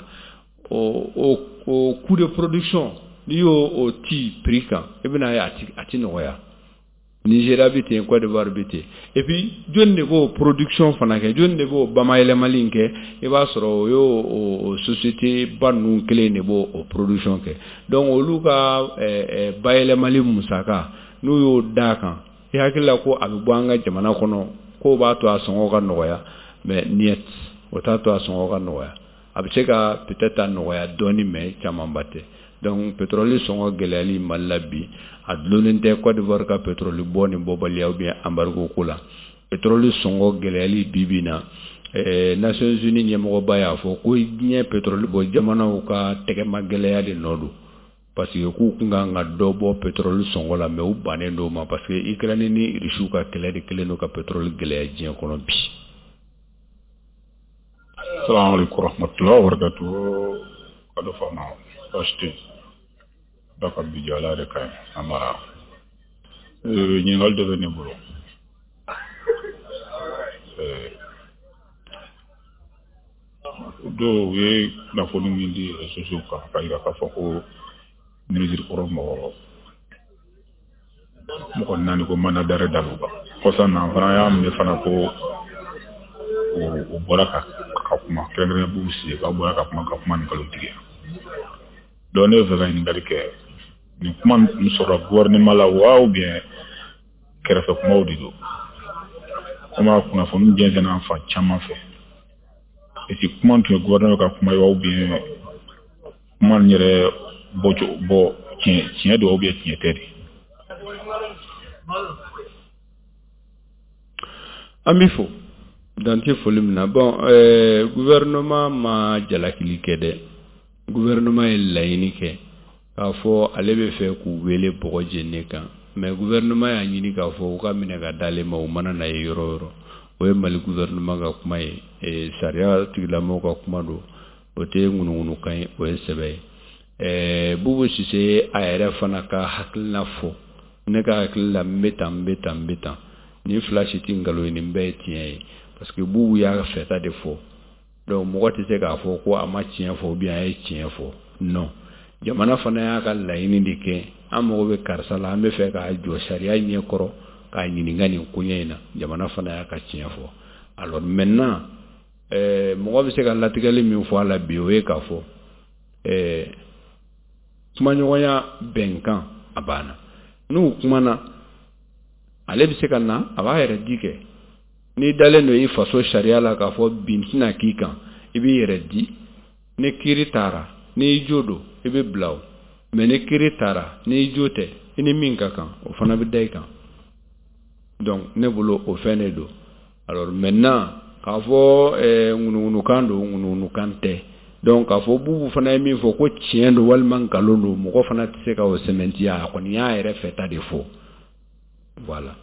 O coût de production, n'i y'o o ti prix kan, i bɛna ye a ti nɔgɔya. Nigéria bɛ ten, Côte d'Ivoire bɛ ten. Et puis jɔnni de b'o production fana kɛ? Jɔnni de b'o bamayɛlɛmali in kɛ? I b'a sɔrɔ o y'o o société ba ninnu kelen de b'o o production kɛ. Donc olu ka bayɛlɛmali musaka, n'u y'o d'a kan, i hakili la ko a bɛ bɔ an ka jamana kɔnɔ, k'o b'a to a sɔngɔ ka nɔgɔya, mais niet, o t'a to a sɔngɔ ka nɔgɔya. A bɛ se ka peut-être a nɔgɔya dɔɔni, mais camanba tɛ. Donc pétrole sɔngɔ gɛlɛyali Mali la bi, a dulonnen tɛ Côte d'Ivoire ka pétrole bɔ ni bɔbaliya ou bien embargo ko la. Pétrole sɔngɔ gɛlɛyali bi bi na, Nations Unies ɲɛmɔgɔba y'a fɔ ko diɲɛ pétrole bɔ jamanaw ka tɛgɛma gɛlɛya de nɔ don. Parce que k'u kun kan ka dɔ bɔ pétrole sɔngɔ la, mais u bannen don o ma, parce que Ukraine ni Russiw ka kɛlɛ de kɛlen don ka pétrole gɛlɛya diɲɛ kɔnɔ bi. Salamu alaikum warahmatullahi wabarakatuh. Kado fama baasi tɛ yen. Ala ka bi jɔ, Ala yɛrɛ ka ɲi an mara. Ɲininkali dɔ bɛ ne bolo. Dɔw ye kunnafoni min di réseaux sociaux kan k'a jira k'a fɔ ko minisiri kɔrɔ mɔgɔ 4 ko mandat d'arrêt da l'u kan. Kɔsa na an fana y'a mɛn fana ko o bɔra ka kuma, kɛrɛnkɛrɛnnen b'u sigi k'a bɔra ka kuma ni nkalon tigɛ. Donc ne bɛ fɛ ka ɲininkali kɛ, nin kuma nin sɔrɔla gouvernement la wa ou bien kɛrɛfɛ kumaw de don? Komi a kunnafoni jɛnsɛnna an fan caman fɛ. Est-ce que kuma tun ye gouvernement ka kuma ye wa ou bien kuma nin yɛrɛ bɔ tiɲɛ don ou bien tiɲɛ tɛ de? An b'i fo dan tɛ foli min na. Bon, gouvernement ma jalakili kɛ dɛ. Gouvernement ye laɲini kɛ k'a fɔ ale bɛ fɛ k'u wele bɔgɔ jeninen kan, mais gouvernement y'a ɲini k'a fɔ u ka minɛ ka d'ale ma, u mana na ye yɔrɔ o yɔrɔ. O ye Mali gouvernement ka kuma ye, sariya tigilamɔgɔw ka kuma don, o tɛ ŋunuŋunukan ye, o ye sɛbɛ ye. Bubu Sise a yɛrɛ fana ka hakilina fɔ, ne ka hakili la n bɛ tan, n bɛ tan, n bɛ tan, nin fila si tɛ nkalon ye, nin bɛɛ ye tiɲɛ ye, parce que Bubu y'a fɛta de fɔ. Donc mɔgɔ tɛ se k'a fɔ ko a ma tiɲɛ fɔ ou bien a ye tiɲɛ fɔ, non. Jamana fana y'a ka laɲini de kɛ, an mago bɛ karisa la, an bɛ fɛ k'a jɔ sariya ɲɛ kɔrɔ k'a ɲininka nin koɲɛ in na, jamana fana y'a ka tiɲɛ fɔ. Alors maintenant, mɔgɔ bɛ se ka latigɛli min fɔ a la bi, o ye k'a fɔ kumaɲɔgɔnya bɛnkan a banna. N'u kumana, ale bɛ se ka na, a b'a yɛrɛ di kɛ. N'i dalen don i faso sariya la k'a fɔ bin tɛna k'i kan, i b'i yɛrɛ di. Ni kiiri taara, n'i jo don, i bɛ bila o. Mais ni kiiri taara, n'i jo tɛ, i ni min ka kan, o fana bɛ da i kan. Donc ne bolo o fɛn de don. Alors maintenant, k'a fɔ ŋunuŋunukan don, ŋunuŋunukan tɛ. Donc k'a fɔ Bubu fana ye min fɔ ko tiɲɛ don walima nkalon don, mɔgɔ fana tɛ se ka o sɛmɛntiya, a kɔni y'a yɛrɛ fɛta de fɔ. Voilà.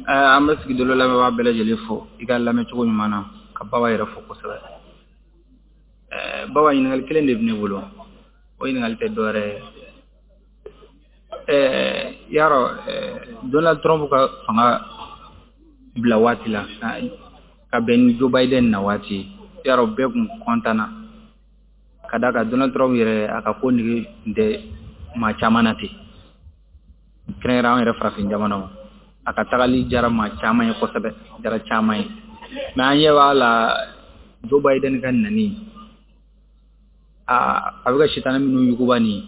An bɛ sigidolo lamɛnbaa bɛɛ lajɛlen fo i ka lamɛncogo ɲuman na, ka Baba yɛrɛ fo kosɛbɛ. Baba, ɲininkali kelen de bɛ ne bolo, o ɲininkali tɛ dɔwɛrɛ ye. Yarɔ, Donald Trump ka fanga bila waati la ka bɛn ni Joe Biden na waati, yarɔ bɛɛ kun kɔntanna ka d'a kan Donald Trump yɛrɛ a ka ko nege tun tɛ maa caman na ten, kɛrɛnkɛrɛn an yɛrɛ farafin jamanaw, a ka tagali jara maa caman ye kosɛbɛ, jara caman ye. Mais an ɲɛ b'a la Joe Biden ka nani, a bɛ ka sitanɛ minnu yuguba nin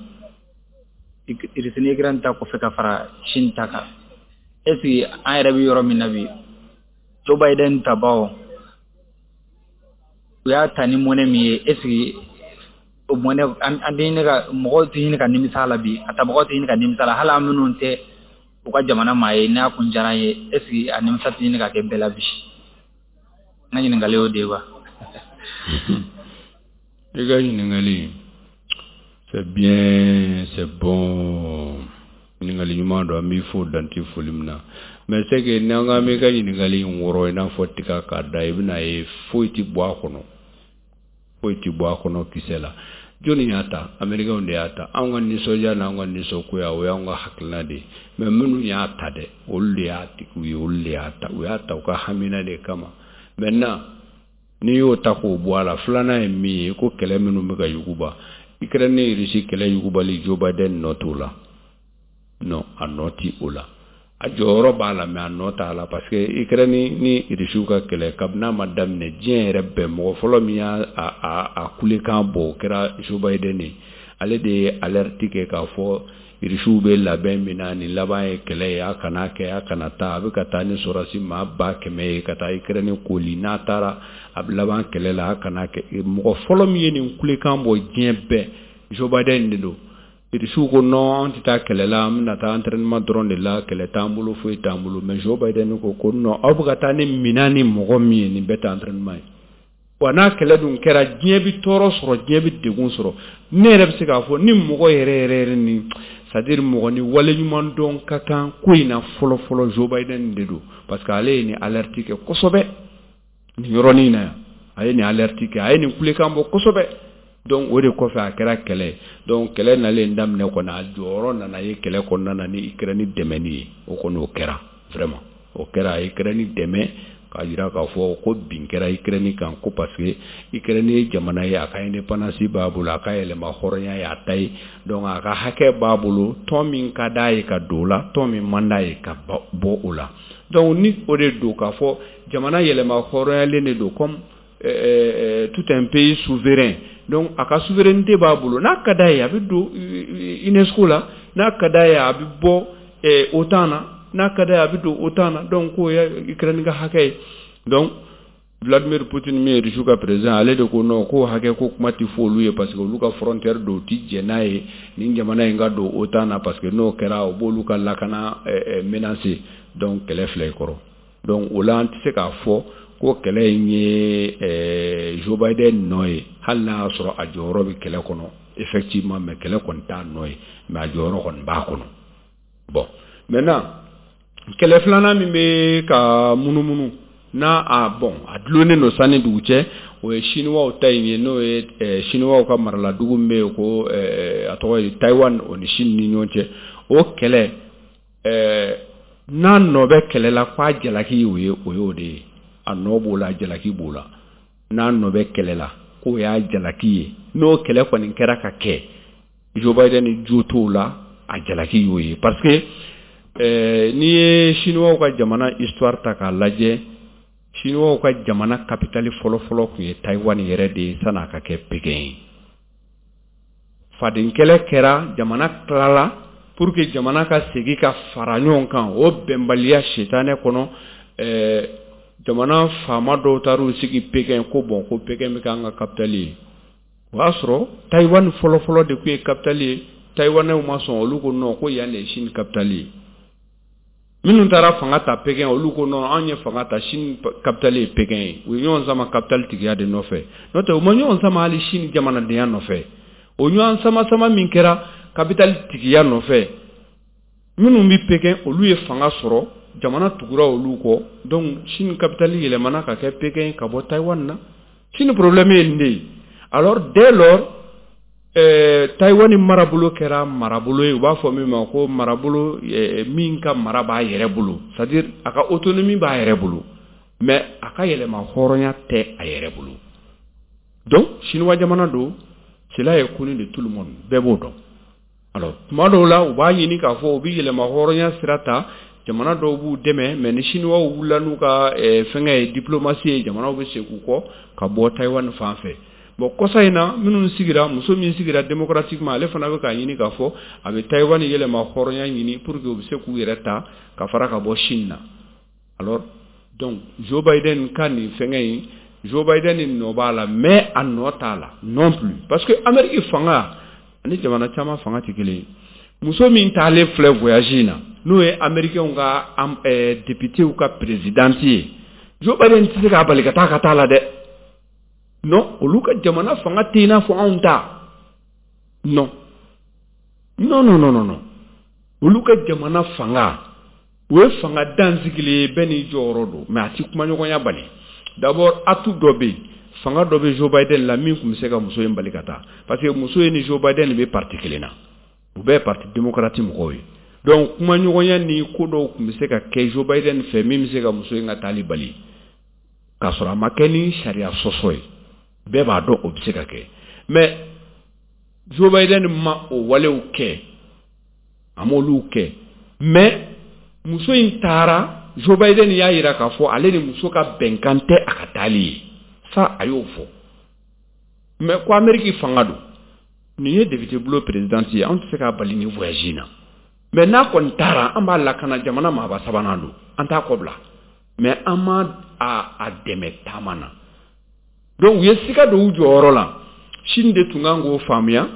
Irisi ni Ukraine ta kɔfɛ ka fara Chine ta kan, est ce que an yɛrɛ bɛ yɔrɔ min na bi, Joe Biden tabaw u y'a ta ni mɔnɛ min ye, est ce que o mɔnɛ an tɛ ɲini ka mɔgɔw tɛ ɲini ka nimisa la bi, a tabagaw tɛ ɲini ka nimisa la, hali an minnu tɛ u ka jamana maa ye n'a kun diyara an ye, est ce que a nimisa tɛ ɲini ka kɛ bɛɛ la bi? N ka ɲininkali y'o de ye quoi. I ka ɲininkali, c'est bien, c'est bon. Ɲininkali ɲuman don, an b'i fo dan tɛ foli min na. Mais c'est que n'an k'an b'i ka ɲininkali in wɔrɔ i n'a fɔ tiga k'a da, i bɛna ye foyi tɛ bɔ a kɔnɔ. Foyi tɛ bɔ a kɔnɔ kisɛ la. Jɔnni y'a ta? Américains de y'a ta. Anw ka nisɔndiya n'anw ka nisɔngoya, o y'anw ka hakilina de ye. Mais minnu y'a ta dɛ, olu de y'a tigiw ye, olu de y'a ta. U y'a ta u ka hamina de kama. Maintenant, n'i y'o ta k'o bɔ a la, filanan ye min ye, ko kɛlɛ minnu bɛ ka yuguba, Ukraine ni Russie kɛlɛ yugubali, Joe Biden nɔ t'o la. Non, a nɔ ti o la. A jɔyɔrɔ b'a la, mais a nɔ t'a la, parce que Ukraine ni Russie ka kɛlɛ kabini a ma daminɛ, diɲɛ yɛrɛ bɛɛ mɔgɔ fɔlɔ min y'a a kulekan bɔ, o kɛra Joe Biden ye. Ale de ye alerte kɛ k'a fɔ Russiw bɛ labɛn min na, nin laban ye kɛlɛ ye, a kana kɛ, a kana taa, a bɛ ka taa ni sɔrɔdasi maa 100,000 ye ka taa Ukraine koli, n'a taara a bɛ laban kɛlɛ la, a kana kɛ. Mɔgɔ fɔlɔ min ye nin kulekan bɔ diɲɛ bɛɛ, Joe Biden de don. Russiw ko non, an tɛ taa kɛlɛ la, an bɛna taa entraînement dɔrɔn de la, kɛlɛ t'an bolo, foyi t'an bolo. Mais Joe Biden ko ko non, aw bɛ ka taa ni minɛn ni mɔgɔ min ye, nin bɛɛ tɛ entraînement ye. Wa n'a kɛlɛ dun kɛra, diɲɛ bɛ tɔɔrɔ sɔrɔ, diɲɛ bɛ degun sɔrɔ. Ne yɛrɛ bɛ se k'a fɔ ni mɔgɔ yɛrɛ yɛrɛ yɛrɛ ni, c'est à dire mɔgɔ ni waleɲuman dɔn ka kan ko in na fɔlɔ fɔlɔ, Joe Biden de don, parce que ale ye nin alerte kɛ kosɛbɛ nin yɔrɔnin in na yan. A ye nin alerte kɛ, a ye nin kulekan bɔ kosɛbɛ. Donc o de kɔfɛ a kɛra kɛlɛ ye. Donc kɛlɛ nalen daminɛ kɔni, a jɔyɔrɔ nana ye kɛlɛ kɔnɔna na ni Ukraine dɛmɛni ye. O kɔni, o kɛra vraiment, o kɛra. A ye Ukraine dɛmɛ k'a jira k'a fɔ ko bin kɛra Ukraine kan, ko parce que Ukraine ye jamana ye, a ka indépendance b'a bolo, a ka yɛlɛma hɔrɔnya ye a ta ye. Donc a ka hakɛ b'a bolo, tɔn min ka d'a ye ka don o la, tɔn min man d'a ye ka bɔ o la. Donc ni o de don k'a fɔ jamana yɛlɛma hɔrɔnyalen de don comme tout un pays souverain. Donc a ka souveraineté b'a bolo. N'a ka d'a ye, a bɛ don UNESCO la. N'a ka d'a ye, a bɛ bɔ OTAN na. N'a ka d'a ye, a bɛ don OTAN na. Donc k'o ye Ukraine ka hakɛ ye. Donc Vladimir Poutine min ye Russie ka président, ale de ko non, k'o hakɛ ko kuma tɛ fɔ olu ye, parce que olu ka frontière don, u ti jɛn n'a ye nin jamana in ka don OTAN na, parce que n'o kɛra, o b'olu ka lakana menacer. Donc kɛlɛ filɛ i kɔrɔ. Donc o la, an tɛ se k'a fɔ ko kɛlɛ in ye Joe Biden nɔ ye, hali n'a y'a sɔrɔ a jɔyɔrɔ bɛ kɛlɛ kɔnɔ effectivement, mais kɛlɛ kɔni t'a nɔ ye, mais a jɔyɔrɔ kɔni b'a kɔnɔ. Bon, maintenant, kɛlɛ filanan min bɛ ka munumunu n'a a bon, a dulonnen don sanni dugu cɛ, o ye Chinois ta in ye, n'o ye Chinois ka maraladugu min bɛ yen ko a tɔgɔ ye Taïwan, o ni Chine ni ɲɔgɔn cɛ. O kɛlɛ, n'a nɔ bɛ kɛlɛ la, k'a jalaki o ye, o y'o de ye. A nɔ b'o la, jalaki b'o la. N'a nɔ bɛ kɛlɛ la, k'o y'a jalaki ye. N'o kɛlɛ kɔni kɛra ka kɛ, Joe Biden jo t'o la, a jalaki y'o ye, parce que n'i ye Chinois ka jamana histoire ta k'a lajɛ, Chinois ka jamana capitale fɔlɔ-fɔlɔ tun ye Taïwan yɛrɛ de ye san'a ka kɛ Pékin ye. Faden kɛlɛ kɛra, jamana tilala. Pour que jamana ka segin ka fara ɲɔgɔn kan, o bɛnbaliya sitanɛ kɔnɔ, jamana faama dɔw taar'u sigi Pékin ko bon, ko Pékin bɛ k'an ka capitale ye. O y'a sɔrɔ Taïwan fɔlɔ-fɔlɔ de tun ye capitale ye. Taïwanais ma sɔn, olu ko non, ko yan de ye Chine capitale ye. Minnu taara fanga ta Pékin, olu ko non, anw ye fanga ta, Chine capitale ye Pékin ye. U ye ɲɔgɔn sama capitale tigiya de nɔfɛ, n'o tɛ u ma ɲɔgɔn sama hali Chine jamanadenya nɔfɛ. O ɲɔgɔn sama sama min kɛra capitale tigiya nɔfɛ, minnu bɛ Pékin, olu ye fanga sɔrɔ, jamana tugura olu kɔ. Donc Chine capitale yɛlɛmana ka kɛ Pékin ka bɔ Taïwan na. Chine problème ye nin de ye. Alors dès lors, Taïwan marabolo kɛra marabolo ye, u b'a fɔ min ma ko marabolo min ka mara b'a yɛrɛ bolo, c'est à dire a ka autonomie b'a yɛrɛ bolo, mais a ka yɛlɛma hɔrɔnya tɛ a yɛrɛ bolo. Donc chinois jamana don, cela est connu de tout le monde, bɛɛ b'o dɔn. Alors tuma dɔw la, u b'a ɲini k'a fɔ u bɛ yɛlɛma hɔrɔnya sira ta, jamana dɔw b'u dɛmɛ, mais ni Chinois wulila n'u ka fɛngɛ ye, diplomatie ye, jamanaw bɛ segin u kɔ ka bɔ Taïwan fan fɛ. Bon, kɔsa in na, minnu sigira, muso min sigira démocratiquement, ale fana bɛ k'a ɲini k'a fɔ a bɛ Taïwan yɛlɛma hɔrɔnya ɲini pour que u bɛ se k'u yɛrɛ ta ka fara ka bɔ Chine na. Alors donc Joe Biden ka nin fɛngɛ in, Joe Biden nɔ b'a la, mais a nɔ t'a la non plus, parce que Amérique fanga ani jamana caman fanga tɛ kelen ye. Muso min taalen filɛ voyage in na, n'o ye Américains ka députés ka présidente ye, Joe Biden tɛ se k'a bali ka taa la dɛ. Non, olu ka jamana fanga tɛ i n'a fɔ anw ta. Non, non, non, non, non, olu ka jamana fanga, o ye fanga dansigilen ye, bɛɛ n'i jɔyɔrɔ don, mais a ti kumaɲɔgɔnya bali. D'abord, atout dɔ bɛ yen, fanga dɔ bɛ Joe Biden la min tun bɛ se ka muso in bali ka taa, parce que muso in ni Joe Biden bɛ parti kelen na, u bɛɛ ye parti démocrate mɔgɔw ye. Donc kumaɲɔgɔnya ni ko dɔw tun bɛ se ka kɛ Joe Biden fɛ min bɛ se ka muso in ka taali bali, k'a sɔrɔ a ma kɛ ni sariya sɔsɔ ye. Bɛɛ b'a dɔn o bɛ se ka kɛ, mais Joe Biden ma o walew kɛ, a m'olu kɛ. Mais muso in taara, Joe Biden y'a jira k'a fɔ ale ni muso ka bɛnkan tɛ a ka taali ye sa, a y'o fɔ. Mais ko Amérique fanga don, nin ye député bulon présidente ye, anw tɛ se k'a bali nin voyage in na. Mais n'a kɔni taara, an b'a lakana, jamana maaba sabanan don, an t'a kɔ bila, mais an ma a dɛmɛ taama na. Donc u ye siga don u jɔyɔrɔ la. Chine de tun kan k'o faamuya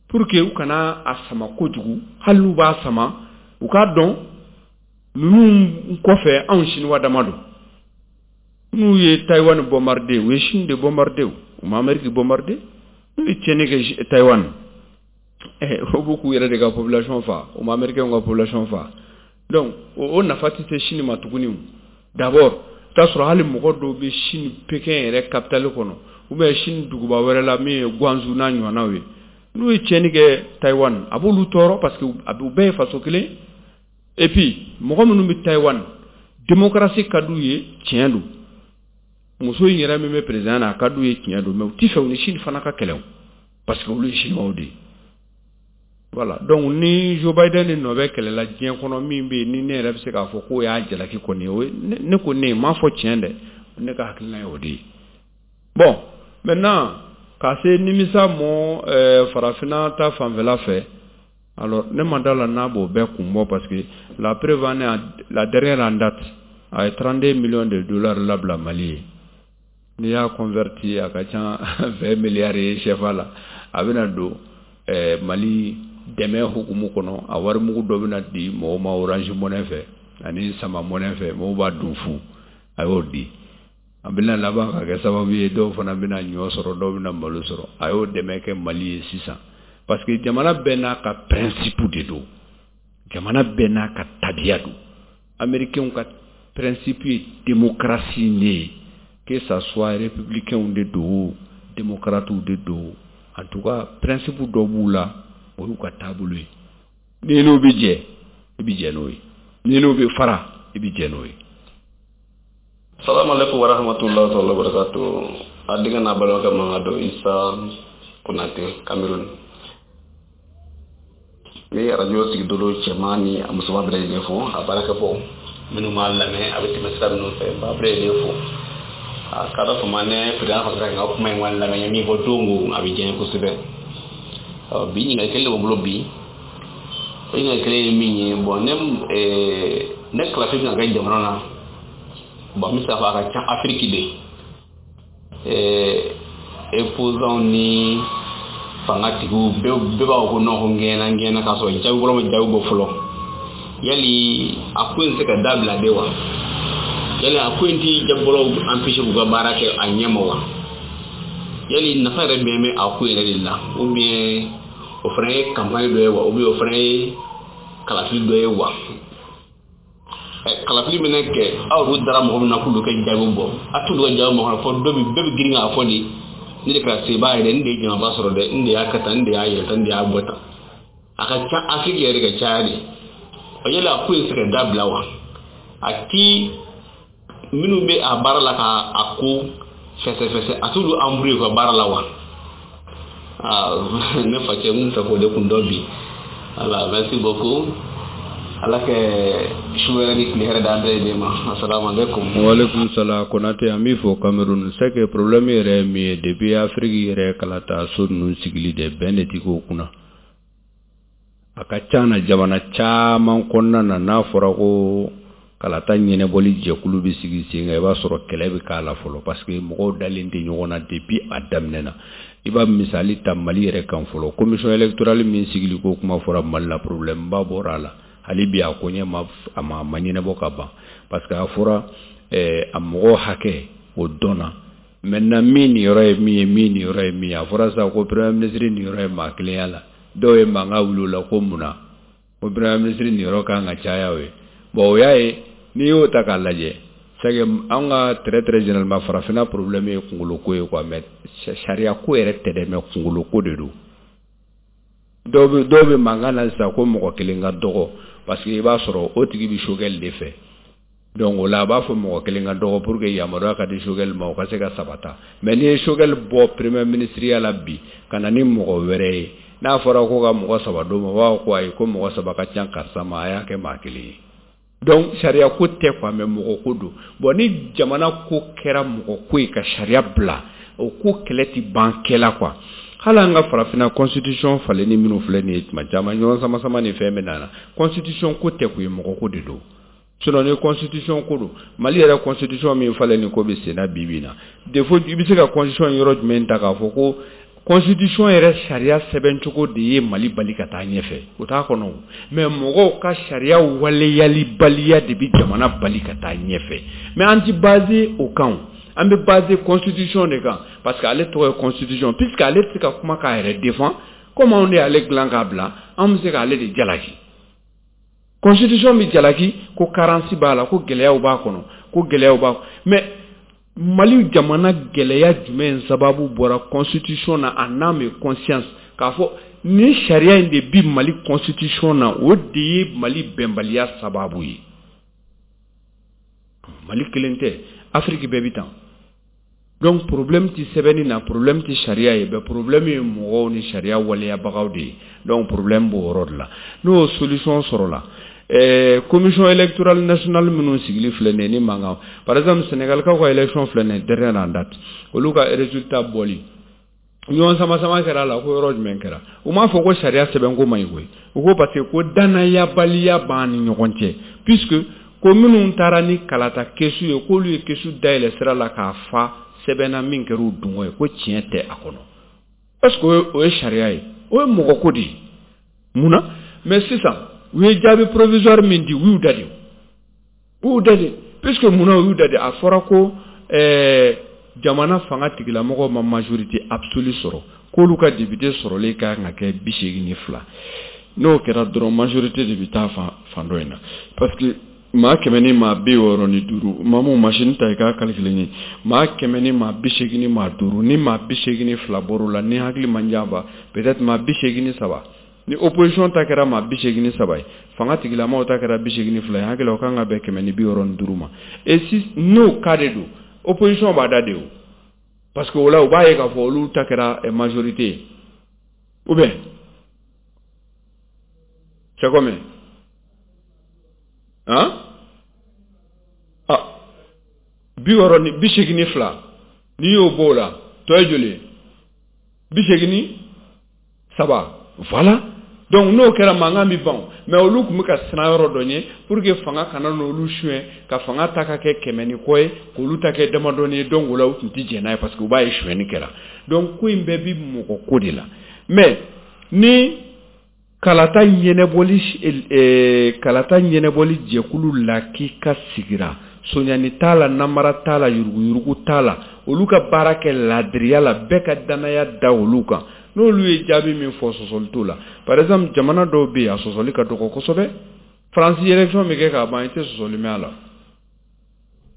pour que u kana a sama kojugu. Hali n'u b'a sama, u k'a dɔn ninnu kɔfɛ, anw Chinois dama don. N'u ye Taïwan bombardé, u ye Chine de bombardé, u ma Amérique bombardé. N'u ye tiɲɛni kɛ Taïwan, o b'u k'u yɛrɛ de ka population fa, u ma américain ka population fa. Donc o nafa tɛ se Chine ma tuguni. D'abord, i t'a sɔrɔ hali mɔgɔ dɔw bɛ Chine Pékin yɛrɛ capitale kɔnɔ, ou bien Chine duguba wɛrɛ la min ye Guangzhou n'a ɲɔgɔnnaw ye. N'u ye tiɲɛni kɛ Taïwan, a b'olu tɔɔrɔ parce que a u bɛɛ ye faso kelen. Et puis mɔgɔ minnu bɛ Taïwan, démocratie ka d'u ye, tiɲɛ don. Muso in yɛrɛ min bɛ président na, a ka d'u ye, tiɲɛ don, mais u ti fɛ u ni Chine fana ka kɛlɛ o, parce que olu ye chinois de ye. Voilà, donc ni Joe Biden de nɔ bɛ kɛlɛ la diɲɛ kɔnɔ min bɛ yen, ni ne yɛrɛ bɛ se k'a fɔ k'o y'a jalaki kɔni ye, o ye ne ko ne m'a fɔ tiɲɛ dɛ, ne ka hakilina ye o de ye. Bon, maintenant ka se nimisa mɔ farafinna ta fanfɛla fɛ, alors ne ma da la n'a b'o bɛɛ kun bɔ, parce que la preuve en est, la dernière en date, a ye 32 millions de dollars labila Mali ye. N'i y'a converti, a ka ca 20 milliards ye CFA la. A bɛna don Mali dɛmɛ hukumu kɔnɔ, a wari mugu dɔ bɛna di mɔgɔw ma Orange Money fɛ ani Sama Money fɛ, mɔgɔw b'a dun fu. A y'o di, a bɛna laban ka kɛ sababu ye dɔw fana bɛna ɲɔ sɔrɔ, dɔw bɛna malo sɔrɔ. A y'o dɛmɛ kɛ Mali ye sisan, parce que jamana bɛɛ n'a ka principe de don, jamana bɛɛ n'a ka tabiya don. Américains ka principe ye démocratie de ye, que ça soit républicain de don, démocrate de don, en tout cas principe dɔ b'u la, o y'u ka taabolo ye. Ni n'u bɛ jɛ, i bɛ jɛ n'o ye, ni n'u bɛ fara, i bɛ jɛ n'o ye. Salamu alaikum warahmatullahi ta'ala wabarakatuh. A denkɛ n'a balimakɛ mankan don, Isa Konate, Cameroun. N bɛ arajo sigidolo cɛman ni a musoman bɛɛ lajɛlen fo, a baarakɛbaaw minnu b'a lamɛn, a bɛ tɛmɛ sira minnu fɛ, n b'a bɛɛ lajɛlen fo. A ka dɔ fama ne président fana sera ka n ka kuma in kɔni lamɛn, n ye min fɔ don o, a bɛ diya n ye kosɛbɛ. Ɔ, bi ɲininkali kelen de b'o bolo bi. O ɲininkali kelen ye min ye, bon, ne kalafili bɛna kɛ jamana na. Bon, n bɛ se k'a fɔ a ka ca Afiriki de. Opposants ni fangatigiw bɛɛ b'a fɔ ko non, ko n gɛnna, n gɛnna, k'a sɔrɔ jaabi bɔra ma jaabi bɔ fɔlɔ. Yali a ko in tɛ se ka dabila de wa? Yali a ko in ti jaabibɔlaw empêcher k'u ka baara kɛ a ɲɛ ma wa? Yali nafa yɛrɛ jumɛn bɛ a ko yɛrɛ de la? Ou bien o fana ye campagne dɔ ye wa? Ou bien o fana ye kalafili dɔ ye wa? Kalafili bɛna kɛ, aw yɛrɛ dara mɔgɔ min na k'olu ka jaabi bɔ, a t'olu ka jaabi mɔgɔ fɔ, dɔ bɛ bɛɛ bɛ girin k'a fɔ de, ne de kɛra sebaa ye dɛ, n de ye jamaba sɔrɔ dɛ, n de y'a kɛ tan, n de y'a yɛlɛ tan, n de y'a bɔ tan. A ka ca Afiriki yɛrɛ de ka caya de. O yali a ko in tɛ se ka dabila wa? A ti minnu bɛ a baara la ka a ko fɛsɛfɛsɛ, a t'olu embrouiller u ka baara la wa? Aa, ne facɛ, n tun fɛ k'o de kun dɔn bi. Voilà, merci beaucoup. Ala kɛ su wɛrɛ ni tile hɛrɛ d'an bɛɛ lajɛlen ma. Assalamu alaikum. Waaleykum salam Konate, an b'i fo Cameroun. C'est que problème yɛrɛ ye min ye, depuis Afrique yɛrɛ kalata so ninnu sigili de, bɛn de ti k'o kunna. A ka ca na jamana caman kɔnɔna na, n'a fɔra ko kalata ɲɛnabɔli jɛkulu bɛ sigi sen kan, i b'a sɔrɔ kɛlɛ bɛ k'a la fɔlɔ, parce que mɔgɔw dalen tɛ ɲɔgɔn na depuis a daminɛ na. I b'a misali ta Mali yɛrɛ kan fɔlɔ, commission électorale min sigili ko kuma fɔra Mali la, problème ba bɔra a la. Hali bi a ko ɲɛ ma, a ma ɲɛnabɔ ka ban, parce que a fɔra a mɔgɔ hakɛ o dɔnna. Maintenant min niyɔrɔ ye min ye, min niyɔrɔ ye min ye, a fɔra sisan ko premier ministre niyɔrɔ ye maa kelenya la. Dɔw ye mankan wuli o la ko mun na ko premier ministre niyɔrɔ kan ka caya o ye. Bon, o y'a ye, n'i y'o ta k'a lajɛ, c'est que an ka très très généralement farafinna problème ye kunkolo ko ye quoi, mais sariya ko yɛrɛ tɛ dɛ, mais kunkolo ko de don. Dɔw bɛ mankan na sisan ko mɔgɔ kelen ka dɔgɔ, parce que i b'a sɔrɔ o tigi bɛ Choguel de fɛ. Donc o la a b'a fɔ mɔgɔ kelen ka dɔgɔ pour que yamaruya ka di Choguel ma, o ka se ka sabata. Mais n'i ye Choguel bɔ premier ministre ya la bi ka na ni mɔgɔ wɛrɛ ye, n'a fɔra ko ka mɔgɔ saba d'o ma, o b'a fɔ ko ayi, ko mɔgɔ saba ka ca karisa ma, a y'a kɛ maa kelen ye. Donc sariya ko tɛ quoi, mais mɔgɔ ko don. Bon, ni jamana ko kɛra mɔgɔ ko ye ka sariya bila, o ko kɛlɛ ti ban kɛla quoi. Hali an ka farafinna constitution falenni minnu filɛ nin ye, tuma caman ɲɔgɔn sama sama ni fɛn bɛ na na, constitution ko tɛ koyi, mɔgɔ ko de don. Sinon ni constitution ko don, Mali yɛrɛ constitution min falenni ko bɛ sen na bi bi in na, défaut, i bɛ se ka constitution yɔrɔ jumɛn ta k'a fɔ ko Constitution yɛrɛ sariya sɛbɛncogo de ye Mali bali ka taa ɲɛfɛ, o t'a kɔnɔ. Mais mɔgɔw ka sariya waleyalibaliya de bɛ jamana bali ka taa ɲɛfɛ. Mais an ti basé o kan, an bɛ basé constitution de kan, parce que ale tɔgɔ ye constitution, puisque ale tɛ se ka kuma k'a yɛrɛ défend. Comme anw de y'ale dilan k'a bila, an bɛ se k'ale de jalaki. Constitution bɛ jalaki ko carence b'a la, ko gɛlɛyaw b'a kɔnɔ, ko gɛlɛyaw b'a. Mais Mali jamana gɛlɛya jumɛn sababu bɔra constitution na en âme et conscience, k'a fɔ ni sariya in de bi Mali constitution na, o de ye Mali bɛnbaliya sababu ye? Mali kelen tɛ, Afrique bɛɛ bi tan. Donc problème ti sɛbɛnni na, problème ti sariya ye bɛɛ, problème ye mɔgɔw ni sariya waleyabagaw de ye. Donc problème b'o yɔrɔ de la. N'o solution sɔrɔla, commission électorale nationale minnu sigili filɛ nin ye ni mankan, par exemple Sénégal kaw ka élection filɛ nin ye, dernière en date, olu ka résultat bɔli, ɲɔgɔn sama sama kɛra a la. Ko yɔrɔ jumɛn kɛra? U m'a fɔ ko sariya sɛbɛnko man ɲi koyi. U ko parce que ko danayabaliya b'an ni ɲɔgɔn cɛ, puisque ko minnu taara ni kalata kɛsu ye, k'olu ye kɛsu dayɛlɛ sira la k'a fa sɛbɛnna min kɛra u dungɔ ye, ko tiɲɛ tɛ a kɔnɔ. Est ce que o ye sariya ye? O ye mɔgɔ ko de ye. Mun na? Mais sisan u ye jaabi provisoire min di, u y'u da de, u y'u da de, puisque mun na u y'u da de? A fɔra ko jamana fanga tigilamɔgɔw ma majorité absolue sɔrɔ, k'olu ka député sɔrɔlen ka kan ka kɛ 82. N'o kɛra dɔrɔn, majorité de bɛ taa fan fan dɔ in na, parce que maa 165, maa mun machine ta i k'a calculer ye, maa 185, ni maa 82 bɔr'o la, ni hakili man janfa, peut-être maa 83. Ni opposition ta kɛra maa 83 ye, fanga tigilamaw ta kɛra 82 ye, hakili o kan ka bɛn 165 ma. Et si n'o cas de don, opposition b'a da de o, parce que o la u b'a ye k'a fɔ olu ta kɛra majorité ye. Ou bien c'est combien, hein? Ah, 60 ni 82, n'i y'o bɔ o la, tɔ ye joli ye? 83, voilà. Donc n'o kɛra, mankan bɛ ban. Mais olu tun bɛ ka siran yɔrɔ dɔ ɲɛ pour que fanga kana n'olu suɲɛ, ka fanga ta ka kɛ 100 ni kɔ ye, k'olu ta kɛ damadɔni ye. Donc o la u tun tɛ jɛn n'a ye, parce que u b'a ye sonyɛni kɛra. Donc ko in bɛɛ bi mɔgɔ ko de la. Mais ni kalata ɲɛnɛbɔli jɛkulu la k'i ka sigira, soɲani t'a la, namara t'a la, yuruguyurugu t'a la, olu ka baara kɛ ladiriya la, bɛɛ ka danaya da olu kan, n'olu ye jaabi min fɔ, sɔsɔli t'o la. Par exemple, jamana dɔw bɛ yen, a sɔsɔli ka dɔgɔ kosɛbɛ. Faransi, élection bɛ kɛ k'a ban, i tɛ sɔsɔli mɛn a la.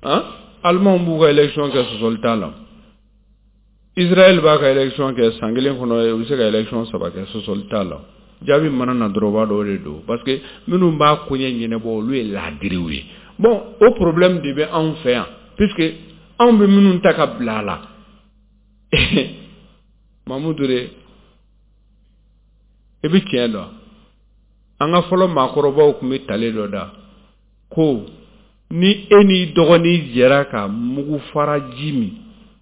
Han, Alimanw b'u ka élection kɛ, sɔsɔli t'a la. Israël b'a ka élection kɛ, san kelen kɔnɔ u bɛ se ka élection saba kɛ, sɔsɔli t'a la. Jaabi mana na dɔrɔn, u b'a dɔn o de don, parce que minnu b'a koɲɛ ɲɛnabɔ, olu ye laadiriw ye. Bon, o problème de bɛ anw fɛ yan, puisque anw bɛ minnu ta ka bila a la. Mamudu de, i bɛ tiɲɛ dɔn, an ka fɔlɔ maakɔrɔbaw tun bɛ tale dɔ da ko ni e n'i dɔgɔnin jɛra ka mugu fara ji min,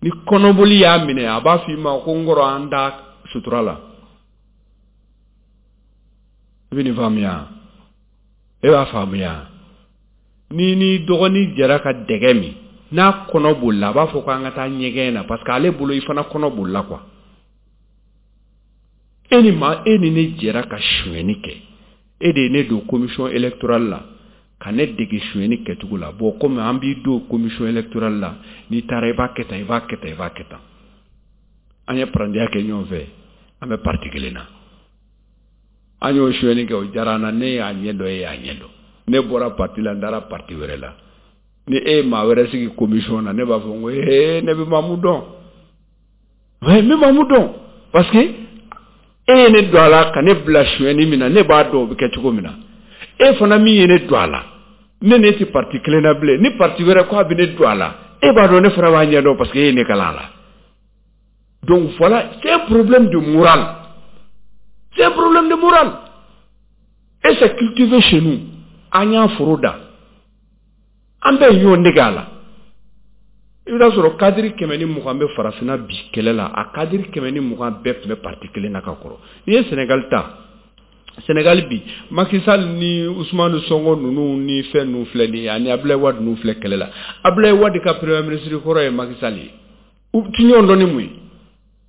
ni kɔnɔboli y'a minɛ, a b'a fɔ i ma ko n kɔrɔ, an da sutura la. I bɛ nin faamuya? E b'a faamuya? Ni n'i dɔgɔnin jɛra ka dɛgɛ min, n'a kɔnɔ bolila, a b'a fɔ ko an ka taa ɲɛgɛn na, parce que ale bolo i fana kɔnɔ bolila quoi. E ni maa, e ni ne jɛra ka sonyɛni kɛ, e de ye ne don commission électorale la ka ne dege sonyɛni kɛcogo la. Bon, komi an b'i don commission électorale la, n'i taara i b'a kɛ tan, i b'a kɛ tan, i b'a kɛ tan. An ye parandiya kɛ ɲɔgɔn fɛ, an bɛ parti kelen na, an y'o sonyɛni kɛ, o diyara an na. Ne y'a ɲɛ dɔn, e y'a ɲɛ dɔn. Ne bɔra parti la, n taara parti wɛrɛ la. Ni e ye maa wɛrɛ sigi commission na, ne b'a fɔ n ko ee, ne bɛ Mamu dɔn, ouais, n bɛ Mamu dɔn, parce que e ye ne don a la ka ne bila sonyɛni min na, ne b'a dɔn o bɛ kɛ cogo min na. E fana min ye ne don a la, ne tɛ parti kelen na bilen. Ni parti wɛrɛ ko a bɛ ne don a la, e b'a dɔn ne fana b'a ɲɛ dɔn, parce que e ye ne kalan a la. Donc voilà, c'est un problème de morale, c'est un problème de morale, et c'est cultivé chez nous. An y'a foro da, an bɛɛ ye ɲɔgɔn dege a la. I bɛ taa sɔrɔ cadre 120 bɛ farafinna bi kɛlɛ la, a cadre 120 bɛɛ tun bɛ parti kelen na ka kɔrɔ. N'i ye Sénégal ta, Sénégal bi, Macky Sall ni Ousmane Sonko ninnu ni fɛn ninnu filɛ nin ye, ani Abdoulaye Wade ninnu filɛ kɛlɛ la. Abdoulaye Wade ka premier ministre kɔrɔ ye Macky Sall ye. U ti ɲɔgɔn dɔn ni mun ye?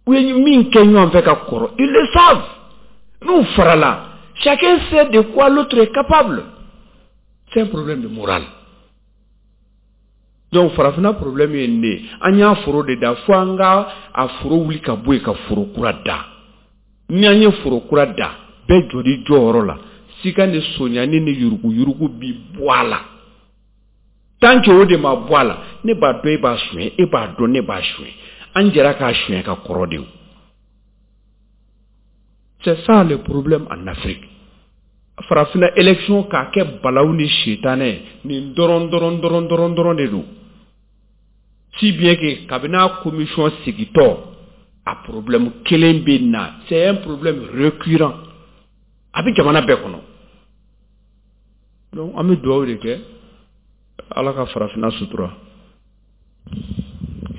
U ye min kɛ ɲɔgɔn fɛ ka kɔrɔ, ils le savent. N'u farala, chacun sait de quoi l'autre est capable. C'est un problème de morale. Donc farafinna problème ye nin de ye. An y'a foro de da fo an ka a foro wuli ka bɔ yen ka foro kura da. Ni an ye foro kura da, bɛɛ jɔli jɔyɔrɔ la, sika ni sonyani ni yuruguyurugu bi bɔ a la. Tant que o de ma bɔ a la, ne b'a dɔn e b'a suɲɛ, e b'a dɔn ne b'a suɲɛ, an jɛra k'a suɲɛ ka kɔrɔ de. C'est ça le problème en Afrique. Farafinna élection k'a kɛ balawu ni sitanɛ nin dɔrɔn dɔrɔn dɔrɔn dɔrɔn dɔrɔn de don. Si bien que kabini a commission sigitɔ, a problème kelen bɛ na, c'est un problème récurrent, a bɛ jamana bɛɛ kɔnɔ. Donc an bɛ dugawu de kɛ, Ala ka farafinna sutura.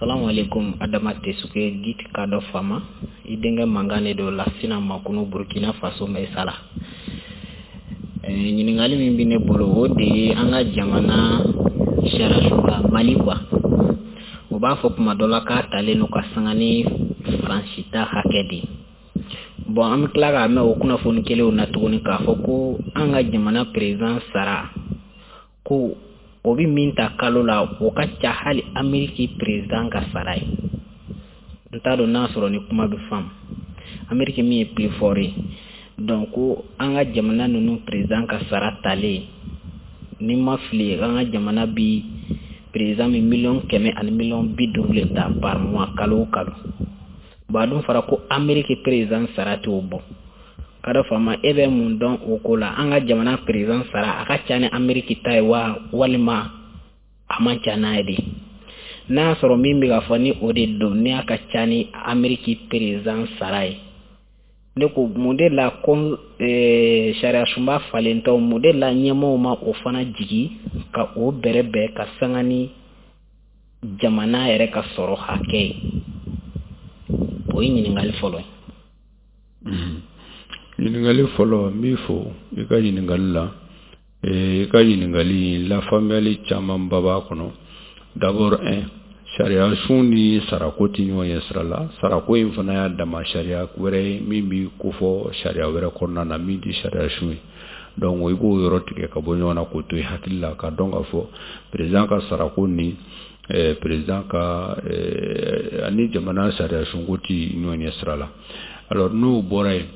Salamu alaikum. Adama Tesuke dit Kadɔ Fama, i denkɛ mankan de don Lasina Makunu, Burkina Faso Mesala. Ɲininkali min bɛ ne bolo, o de ye an ka jamana sariyasunba Mali quoi. O b'a fɔ kuma dɔ la k'a talen don ka sanga ni Faransi ta hakɛ de ye. Bon, an bɛ tila k'a mɛn o kunnafoni kelenw na tuguni k'a fɔ ko an ka jamana président sara ko o bɛ min ta kalo la, o ka ca hali Ameriki président ka sara ye. N t'a dɔn n'a sɔrɔ ni kuma bɛ faamu. Ameriki min ye plus fort ye. Donc ko an ka jamana ninnu président ka sara talen, ni ma fili, an ka jamana bi président bɛ 100 000 000 ani 50 000 000 de ta par mois, kalo o kalo. Bon, a dun fɔra ko Ameriki président sara t'o bɔ. Kadɔ Fama, e bɛ mun dɔn o ko la? An ka jamana président sara, a ka ca ni Ameriki ta ye wa, walima a man ca n'a ye de? N'a y'a sɔrɔ min bɛ ka fɔ ni o de don, ni a ka ca ni Ameriki président sara ye, ne ko mun de la ko sariya sunba falentɔ, mun de la ɲɛmɔgɔw ma o fana jigi ka o bɛrɛbɛn ka sanga ni jamana yɛrɛ ka sɔrɔ hakɛ ye? O ye ɲininkali fɔlɔ ye. Ɲininkali fɔlɔ, n b'i fo i ka ɲininkali la. I ka ɲininkali lafaamuyali camanba b'a kɔnɔ. D'abord, un, sariya sun ni sarako tɛ ɲɔgɔn ye sira la. Sarako in fana y'a dama sariya wɛrɛ ye min b'i kofɔ sariya wɛrɛ kɔnɔna na min tɛ sariya sun ye. Donc i b'o yɔrɔ tigɛ ka bɔ ɲɔgɔn na k'o to i hakili la, ka dɔn k'a fɔ président ka sarako ni président ka ani jamana sariya sunko tɛ ɲɔgɔn ye sira la. Alors n'o bɔra yen,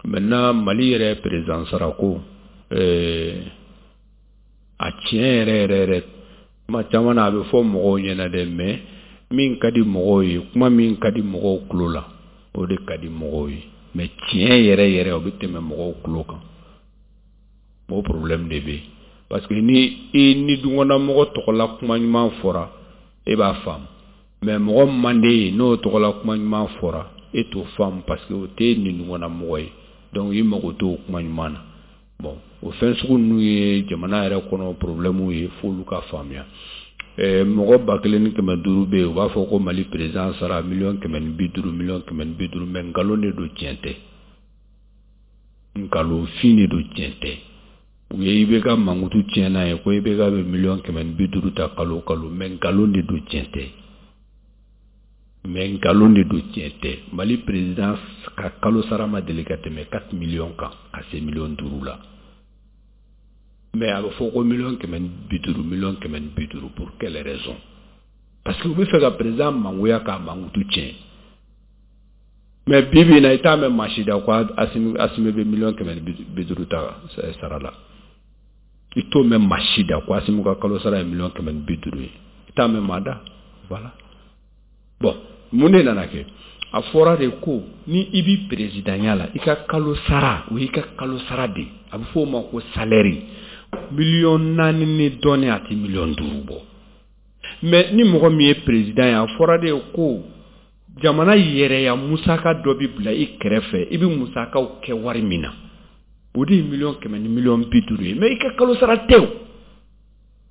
maintenant Mali yɛrɛ président sarako, a tiɲɛ yɛrɛ yɛrɛ yɛrɛ, kuma caman na a bɛ fɔ mɔgɔw ɲɛna dɛ, mais min ka di mɔgɔw ye, kuma min ka di mɔgɔw tulo la, o de ka di mɔgɔw ye, mais tiɲɛ yɛrɛ yɛrɛ, o bɛ tɛmɛ mɔgɔw tulo kan. O problème de bɛ yen, parce que ni i ni dukɔnɔmɔgɔ tɔgɔla kuma ɲuman fɔra, e b'a faamu, mais mɔgɔ man d'e ye, n'o tɔgɔla kuma ɲuman fɔra, e t'o faamu, parce que o t'e ni dukɔnɔmɔgɔ ye. Donc i mago t'o kuma ɲuman na. Bon, o fɛn sugu ninnu ye jamana yɛrɛ kɔnɔ problème ye, f'olu ka faamuya. Mɔgɔ 1500 bɛ yen, u b'a fɔ ko Mali président sara 150 000 000, 150 000 000, mais nkalon de don, tiɲɛ tɛ. Nkalonfin de don, tiɲɛ tɛ. U ye IBK mankutu tiɲɛ n'a ye ko IBK bɛ 150 000 000 ta kalo o kalo, mais nkalon de don, tiɲɛ tɛ. Mais nkalon de don, tiɲɛ tɛ. Mali président ka kalo sara ma deli ka tɛmɛ 4 millions kan ka se 5 millions la. Mais a bɛ fɔ ko 150 000 000, 150 000 000, pour quelle raison? Parce que u bɛ fɛ ka président mangoya k'a mankutu tiɲɛ. Mais bi bi in na, i t'a mɛn maa si da ko Asimi bɛ 150 000 000 ta sara la. I t'o mɛn maa si da ko Asimi ka kalo sara ye 150 000 000 ye. I t'a mɛn maa da. Voilà. Bon, mun de nana kɛ? A fɔra de ko ni i bi présidentya la, i ka kalo sara, o y'i ka kalo sara de, a bɛ fɔ o ma ko salaire, 4 millions ni dɔɔnin, a tɛ 5 millions bɔ. Mais ni mɔgɔ min ye président ye, a fɔra de ko jamana yɛrɛya musaka dɔ bɛ bila i kɛrɛfɛ, i bɛ musakaw kɛ wari min na, o de ye 100 000 000 ni 50 000 000 ye. Mais i ka kalo sara tɛ o,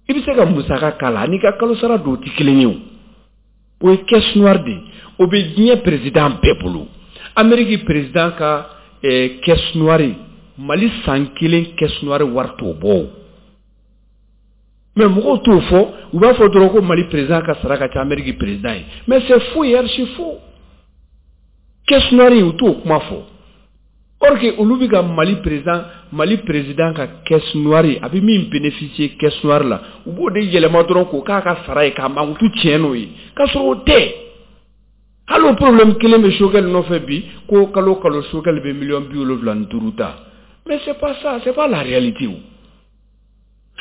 i bɛ se ka musaka k'a la, ani ka kalo sara dɔw tɛ kelen ye. O o ye caisse noire de ye, o bɛ diɲɛ président bɛɛ bolo. Amérique président ka caisse noire, Mali san kelen caisse noire wari t'o bɔ o. Mais mɔgɔw t'o fɔ, u b'a fɔ dɔrɔn ko Mali président ka sara ka ca Amérique président ye, mais c'est faux et archi faux. Caisse noire u t'o kuma fɔ. Or que olu bɛ ka Mali président, Mali président ka caisse noire, a bɛ min bénéficier caisse noire la, u b'o de yɛlɛma dɔrɔn k'o k'a ka sara ye, k'a mankutu tiɲɛ n'o ye, k'a sɔrɔ o tɛ. Hali o problème kelen bɛ Choguel nɔfɛ bi, ko kalo kalo Choguel bɛ miliyɔn 75 ta. Mais c'est pas ça, c'est pas la réalité o.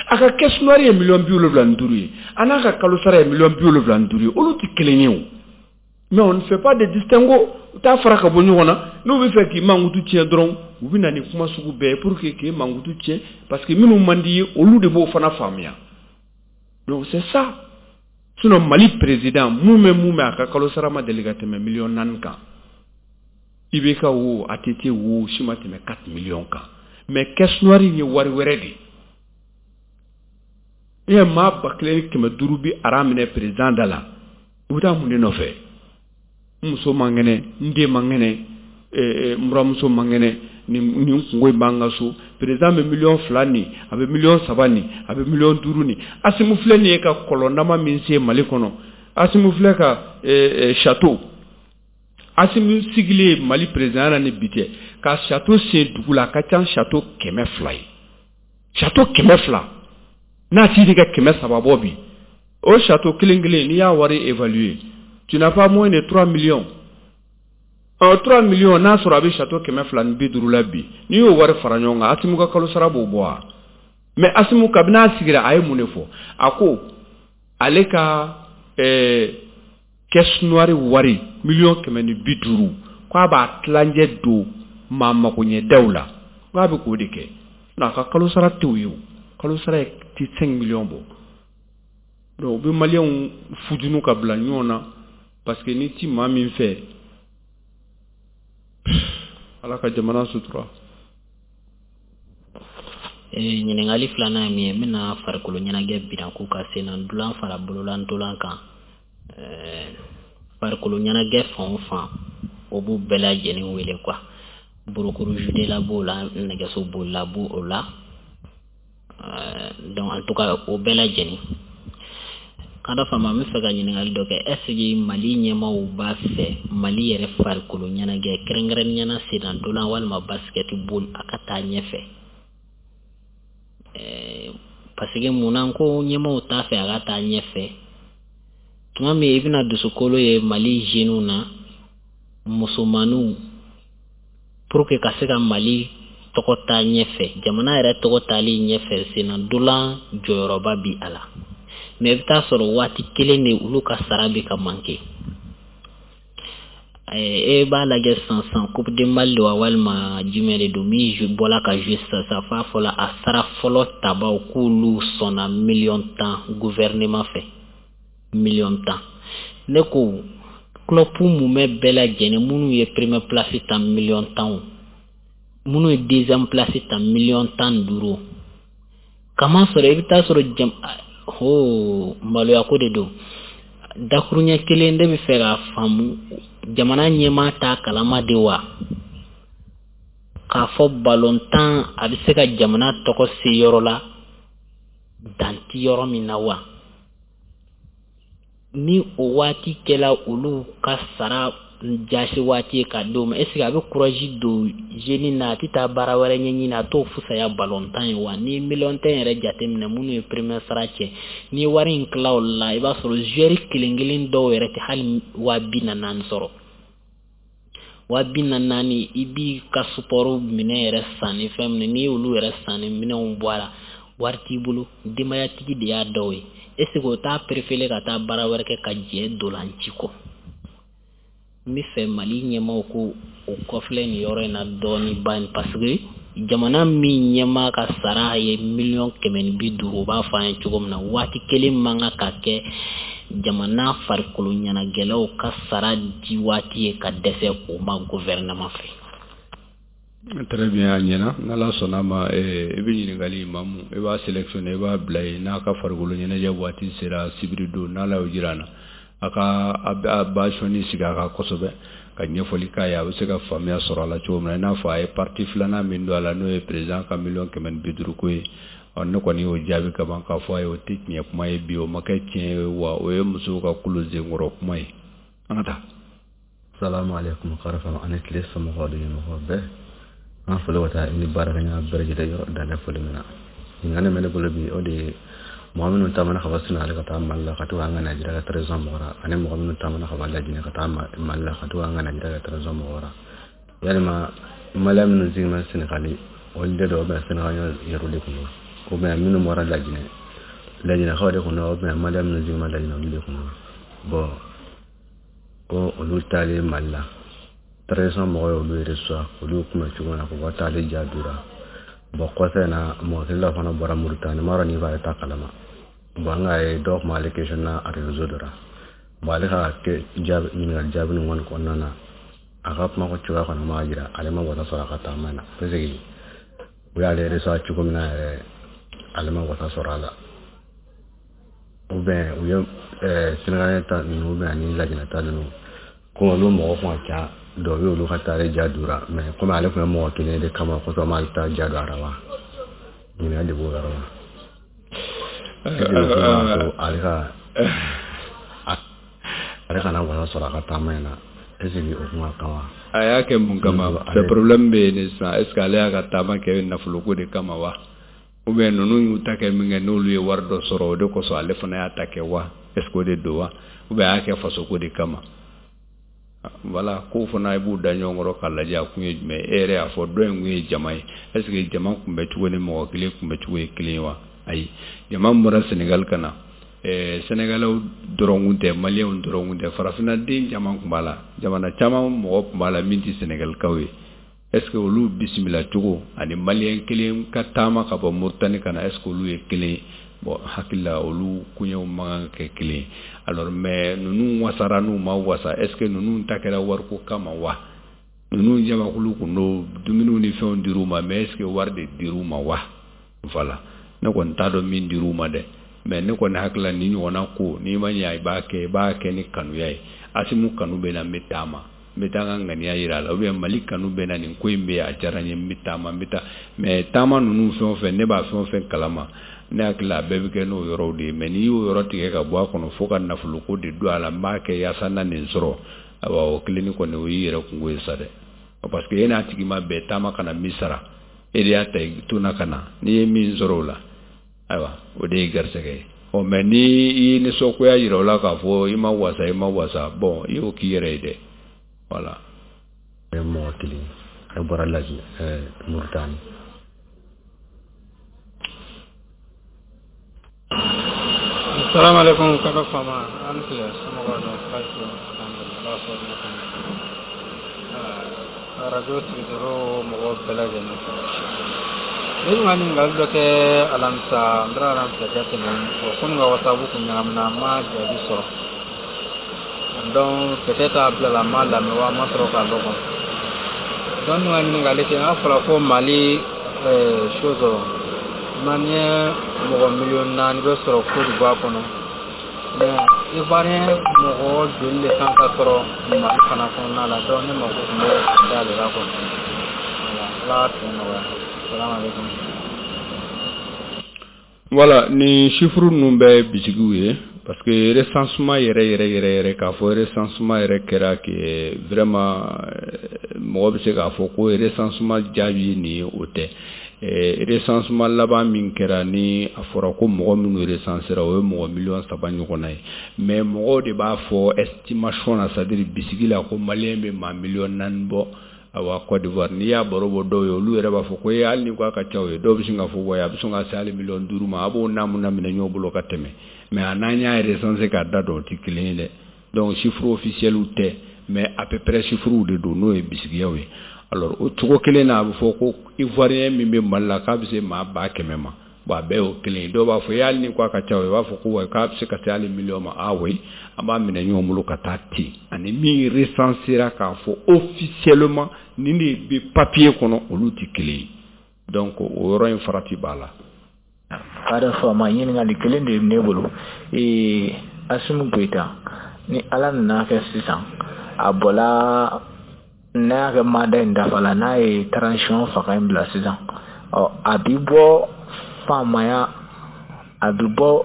A ka caisse noire ye miliyɔn 75 ye, a n'a ka kalo sara ye miliyɔn 75 ye, olu tɛ kelen ye o. Mais on ne fait pas de distinguo, u t'a fara ka bɔ ɲɔgɔn na. N'u bɛ fɛ k'i mankutu tiɲɛ dɔrɔn, u bɛ na ni kuma sugu bɛɛ ye pour que k'i mankutu tiɲɛ, parce que minnu man di ye, olu de b'o fana faamuya. Donc c'est ça. Sinon Mali président mun bɛ a ka kalo sara ma deli ka tɛmɛ miliyɔn 4 kan. IBK wo, ATT wo, si ma tɛmɛ 4 millions kan. Mais caisse noire ye wari wɛrɛ de ye. E ye maa 1500 bi ara minɛ président da la, u bɛ taa mun de nɔfɛ? N muso man kɛnɛ, n den man kɛnɛ, n buramuso man kɛnɛ, nin kungo in b'an ka so. Président bɛ miliyɔn 2 nin, a bɛ miliyɔn 3 nin, a bɛ miliyɔn 5 nin. Asimu filɛ nin ye ka kɔlɔndama min se Mali kɔnɔ, Asimu filɛ ka château, Asimu sigilen Mali président na ni bi cɛ, ka château sen dugu la, a ka ca château 200 ye. Château 200, n'a t'i di ka 300 bɔ bi, o château kelen kelen n'i y'a wari évaluer, tu n'as pas moins de 3 millions. 3 millions, n'a sɔrɔ a bɛ château 250 la bi, n'i y'o wari fara ɲɔgɔn kan, Asimu ka kalo sara b'o bɔ wa? Mais Asimu kabini a sigira, a ye mun de fɔ? A ko ale ka caisse noire wari miliyɔn 150, k'a b'a tilancɛ don maa magoɲɛdaw la, k'a bɛ k'o de kɛ. A ka kalo sara t'o ye o, kalo sara ye ti 5 millions bɔ. Donc u bɛ maliyɛnw fujunu ka bila ɲɔgɔn na, parce que ni ti maa min fɛ, Ala ka jamana sutura. Ɲininkali filanan ye min ye, n bɛna farikolo ɲɛnajɛ binako ka sen na dulan fara bolola ntolan kan. Farikolo ɲɛnajɛ fan o fan, o b'u bɛɛ lajɛlen wele quoi. Burukuru judela b'o la, nɛgɛso bolila b'o la. Donc en tout cas o bɛɛ lajɛlen. Kada fama, n bɛ fɛ ka ɲininkali dɔ kɛ. Est ce que Mali ɲɛmaaw b'a fɛ Mali yɛrɛ farikolo ɲɛnajɛ, kɛrɛnkɛrɛnnenya la senna ntolan walima basketball, a ka taa ɲɛfɛ? Parce que munna ko ɲɛmaaw t'a fɛ a ka taa ɲɛfɛ? Tuma min i bɛna dusukolo ye Mali jeunes na, musomaninw, pour que ka se ka Mali tɔgɔ taa ɲɛfɛ, jamana yɛrɛ tɔgɔ taali ɲɛfɛ, senna ntolan jɔyɔrɔba bi a la. Mais i bɛ taa sɔrɔ waati kelen de olu ka sara bɛ ka manquer. E b'a lajɛ sisan sisan, Coupe du Mali wa walima jumɛn de don min bɔla ka jouer sisan sisan, f'a fɔla a sara fɔlɔ tabaw k'olu sɔnna miliyɔn 10 gouvernement fɛ, miliyɔn 10. Ne ko club mumɛ bɛɛ lajɛlen, minnu ye première place ta miliyɔn 10 o, minnu ye deuxième place ta miliyɔn 15, kama sɔrɔ i bɛ taa sɔrɔ jam ho maloya ko de don. Dakuruɲɛ kelen de bɛ fɛ k'a faamu, jamana ɲɛmaa t'a kalama de wa, k'a fɔ balontan a bɛ se ka jamana tɔgɔ se yɔrɔ la dan ti yɔrɔ min na wa? Ni o waati kɛla olu ka sara jasi waati ye ka d'o ma, est ce que a bɛ courage don jeune na, a tɛ taa baara wɛrɛ ɲɛɲini, a t'o fisaya balontan ye wa? Ni miliyɔn 10 yɛrɛ jateminɛ, minnu ye premier sara cɛ, n'i ye wari in tila o la, i b'a sɔrɔ joueur kelen kelen dɔw yɛrɛ tɛ hali 44.000 sɔrɔ. 44.000, i b'i ka support minɛ yɛrɛ san ni fɛn min, n'i y'olu yɛrɛ san ni minɛnw bɔ a la, wari t'i bolo, denbayatigi de y'a dɔw ye. Est ce que o t'a préféré ka taa baara wɛrɛ kɛ ka jɛ dolanci kɔ? N bɛ fɛ Mali ɲɛmaaw ko o kɔfilɛ nin yɔrɔ in na dɔɔni ba, parce que jamana min ɲɛmaa ka sara ye miliyɔn 150, o b'a fɔ an ye cogo min na, waati kelen man kan ka kɛ jamana farikolo ɲɛnajɛlaw ka sara di waati ye ka dɛsɛ o ma gouvernement fɛ. Très bien, a ɲɛna. N'Ala sɔnna ma, i bɛ ɲininkali Mamu, i b'a sélectionner, i b'a bila yen. N'a ka farikolo ɲɛnajɛ waati sera sibiri don, n'Ala y'o jira an na, a ka a ba sɔnni sigi a kan kosɛbɛ ka ɲɛfɔli k'a ye, a bɛ se ka faamuya sɔrɔ a la cogo min na. I n'a fɔ a ye partie filanan min don a la, n'o ye président ka miliyɔn 150 ko ye. Ɔ ne kɔni y'o jaabi ka ban k'a fɔ a ye, o tɛ tiɲɛ kuma ye bi, o ma kɛ tiɲɛ ye wa, o ye musow ka kulo senkɔrɔ kuma ye. An ka taa. Salamu alaikum karafa ani tile somɔgɔw de ɲɛmɔgɔ bɛɛ. An foli ka taa i ni baarakɛɲɔgɔn bɛɛ lajɛlen yɔrɔ dan foli min na. Ɲininkali min bɛ ne bolo bi, o de ye mɔgɔ minnu taamana ka bɔ Senegali ka taa Mali la ka to k'an ka Najeriya ka transition mɔgɔ la, ani mɔgɔ minnu taamana ka bɔ Lajinɛ ka taa Mali la ka to k'an ka Najeriya ka transition mɔgɔ la. Yalima Maliyɛn minnu sigilen bɛ Senegali, olu de don, ou bien Senegaliyɛn yɛrɛ de kun don, ou bien minnu bɔra Lajinɛ, Lajinɛkaw de kun don, ou bien Maliyɛn minnu sigilen bɛ Lajinɛ, olu de kun don. Bon, ko olu taalen Mali la, transition mɔgɔw ye olu reçoit, olu kunbɛn cogo min na k'u ka taali diya d'u la. Bon, kɔfɛ na mɔgɔ kelen dɔ fana bɔra Mauritanie, m'a dɔn n'i b'ale ta kalama. Bon, an k'a ye dɔw tun b'ale question na réseau dɔ la. Bon, ale ka jaabi ɲininkali jaabi ninnu kɔni kɔnɔna na, a ka kuma cogoya kɔni m'a jira ale ma wasa sɔrɔ a ka taama in na, parce que u y'ale reçoit cogo min na yɛrɛ, ale ma wasa sɔrɔ a la. Ou bien u ye Sénégalais ta ninnu, ou bien ani Lajinɛ ta ninnu, komi olu mɔgɔ kun ka ca, dɔw bɛ olu ka taali ja d'u la, mais komi ale tun ye mɔgɔ kelen de kama kosɔn m'ale ta ja don a la wa? Ɲininkali de b'o yɔrɔ la. Ale ka ale kana wasa sɔrɔ a ka taama in na, est ce que o kun ka kan wa? A y'a kɛ mun kama? C'est problème bɛ yen de sisan. Est ce que ale y'a ka taama kɛ nafoloko de kama wa, ou bien ninnu y'u ta kɛ min kɛ, n'olu ye wari dɔ sɔrɔ, o de kosɔn ale fana y'a ta kɛ wa? Est ce que o de don wa, ou bien a y'a kɛ fasoko de kama? Voilà, kow fana i b'u da ɲɔgɔn kɔrɔ k'a lajɛ, a kun ye jumɛn ye. E yɛrɛ y'a fɔ dɔ in kun ye jama ye. Est ce que jama kunbɛ cogo ni mɔgɔ kelen kunbɛ cogo ye kelen ye wa? Ayi, jama min bɔra Sénégal ka na, Sénégalais dɔrɔn kun tɛ, Maliyɛnw dɔrɔn kun tɛ, farafinna den caman kun b'a la, jamana caman mɔgɔ kun b'a la min tɛ Sénégalikaw ye. Est ce que olu bisimila cogo ani Maliyɛn kelen ka taama ka bɔ Mauritanie ka na, est ce que olu ye kelen ye? Bon, hakili la olu koɲɛw man kan ka kɛ kelen ye. Alors, mais ninnu wasara n'u ma wasa, est ce que ninnu ta kɛra wariko kama wa? Ninnu jamakulu kun don, dumuniw ni fɛnw dir'u ma, mais est ce que wari de dir'u ma wa? Voilà, ne kɔni t'a dɔn min dir'u ma dɛ, mais ne kɔni hakili la nin ɲɔgɔnna ko, n'i ma ɲɛ, i b'a kɛ ni kanuya ye. Asimu kanu bɛ na, n bɛ taama, n bɛ taa n ka ŋaniya yira a la, ou bien Mali kanu bɛ na, nin ko in bɛ yen, a diyara n ye, n bɛ taama, n bɛ taa. Mais taama ninnu fɛn o fɛn, ne b'a fɛn o fɛn kalama, ne hakili la a bɛɛ bɛ kɛ n'o yɔrɔw de ye. Mais n'i y'o yɔrɔ tigɛ ka bɔ a kɔnɔ fo ka nafoloko de don a la, n b'a kɛ yaasa n na nin sɔrɔ, ayiwa, o kelenni kɔni, o y'i yɛrɛ kungo ye sa dɛ, parce que e n'a tigi ma bɛn taama kana min sara, e de y'a ta i to na ka na, n'i ye min sɔrɔ o la, ayiwa, o de ye garisɛgɛ ye. Ɔ, mais ni i ye nisɔngoya yira o la k'a fɔ i ma wasa, i ma wasa, bon, i y'o k'i yɛrɛ ye dɛ. Voilà. Mɔgɔ kelen e bɔra Lajinɛ, Mauritanie. Assalamu alaikum kaka fama, an tile, somɔgɔw don? Baasi alhamdulillah, sɔrɔ kɔnɔ radio sigidɔrɔ mɔgɔw bɛɛ lajɛlen fɛ. Ne tun ka ɲininkali dɔ kɛ alamisa, n taara alamisa kɛ tɛmɛ bɔn, komi ka WhatsApp kun ɲagamina, n ma jaabi sɔrɔ. Donc peut-être a bilala, n ma lamɛn wa, n ma sɔrɔ k'a dɔn kɔni. Donc n tun ka ɲininkali kɛ, n'a fɔra ko Mali chose Malien mɔgɔ 4 miliyɔn bɛ sɔrɔ Côte d'Ivoire kɔnɔ, mais Ivoirien mɔgɔ joli de kan ka sɔrɔ Mali fana kɔnɔna la? Donc ne mako tun bɛ d'ale la kɔni. Voilà, Ala ka tile nɔgɔya. Salamu alaikum. Voilà, ni chiffre ninnu bɛɛ bisigiw ye, parce que recensement yɛrɛ yɛrɛ yɛrɛ yɛrɛ, k'a fɔ recensement yɛrɛ kɛra que vraiment mɔgɔ bɛ se k'a fɔ ko recensement jaabi ye nin ye, o tɛ. Recensement laban min kɛra, ni a fɔra ko mɔgɔ minnu recensera, o ye mɔgɔ 3 miliyɔn ɲɔgɔnna ye. Mais mɔgɔw de b'a fɔ estimation na, c'est à dire bisigi la, ko Maliyɛn bɛ maa 4 miliyɔn bɔ. Awa, Côte d'Ivoire, n'i y'a baro bɔ dɔw ye, olu yɛrɛ b'a fɔ ko e, hali ni ko a ka ca o ye, dɔw bɛ sin k'a fɔ wa a bɛ sɔn ka se hali 5 miliyɔn ma, a b'o naamu na minɛ ɲɔgɔn bolo ka tɛmɛ. Mais a n'an y'a recenser k'a da dɔn, o tɛ kelen ye dɛ. Donc chiffre officiel tɛ, mais à peu près chiffres de don, n'o ye bisigiyaw ye. Alors, o cogo kelen na, a bɛ fɔ ko Ivoirien min bɛ Mali la, k'a bɛ se maa 100 000 ma. Bon, a bɛɛ y'o kelen ye. Dɔw b'a fɔ e, hali ni ko a ka ca o ye, u b'a fɔ ko wa k'a bɛ se ka se hali miliyɔn ma. Ah oui, an b'a minɛ ɲɔgɔn bolo ka taa ten, ani min recensera k'a fɔ officiellement nin de bɛ papier kɔnɔ, olu tɛ kelen ye. Donc o yɔrɔ in farati b'a la. Kada faama, ɲininkali kelen de bɛ ne bolo. Assimi Goïta, ni Ala nana kɛ sisan a bɔla, n'a y'a kɛ mandat in dafa la, n'a ye transition fanga in bila sisan, ɔ a bi bɔ faamaya, a bi bɔ,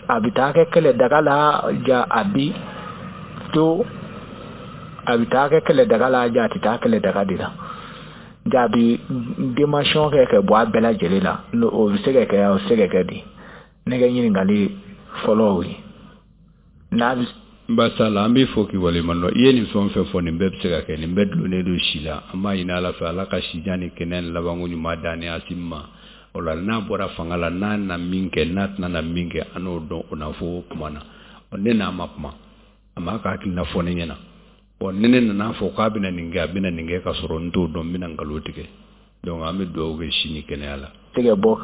a bi taa kɛ kɛlɛ daga la, ja a bi to A bɛ taa kɛ kɛlɛdaga la, ja a tɛ taa kɛlɛdaga de la, ja a bɛ démission kɛ ka bɔ a bɛɛ lajɛlen la, o bɛ se ka kɛ, o bɛ se ka kɛ di? Ne ka ɲininkali fɔlɔ o ye. N'a bɛ Basala, an b'i fo k'i waleɲuman dɔn. I ye nin fɛn o fɛn fɔ, nin bɛɛ bɛ se ka kɛ, nin bɛɛ dulonnen don si la. An b'a ɲini Ala fɛ, Ala ka sijan ni kɛnɛya ni labanko ɲuman d'an ni Asimi ma. O la, n'a bɔra fanga la, n'a na min kɛ, n'a tɛna na min kɛ, an n'o dɔn o na fɔ o kuma na. Ne n'a ma kuma, a m'a ka hakilina fɔ ne ɲɛna. Ɔ, ni ne nana fɔ k'a bɛna nin kɛ, a bɛna nin kɛ, ka sɔrɔ n t'o dɔn, n bɛna nkalon tigɛ. Donc an bɛ dugawu kɛ si ni kɛnɛya la. Se ka bɔ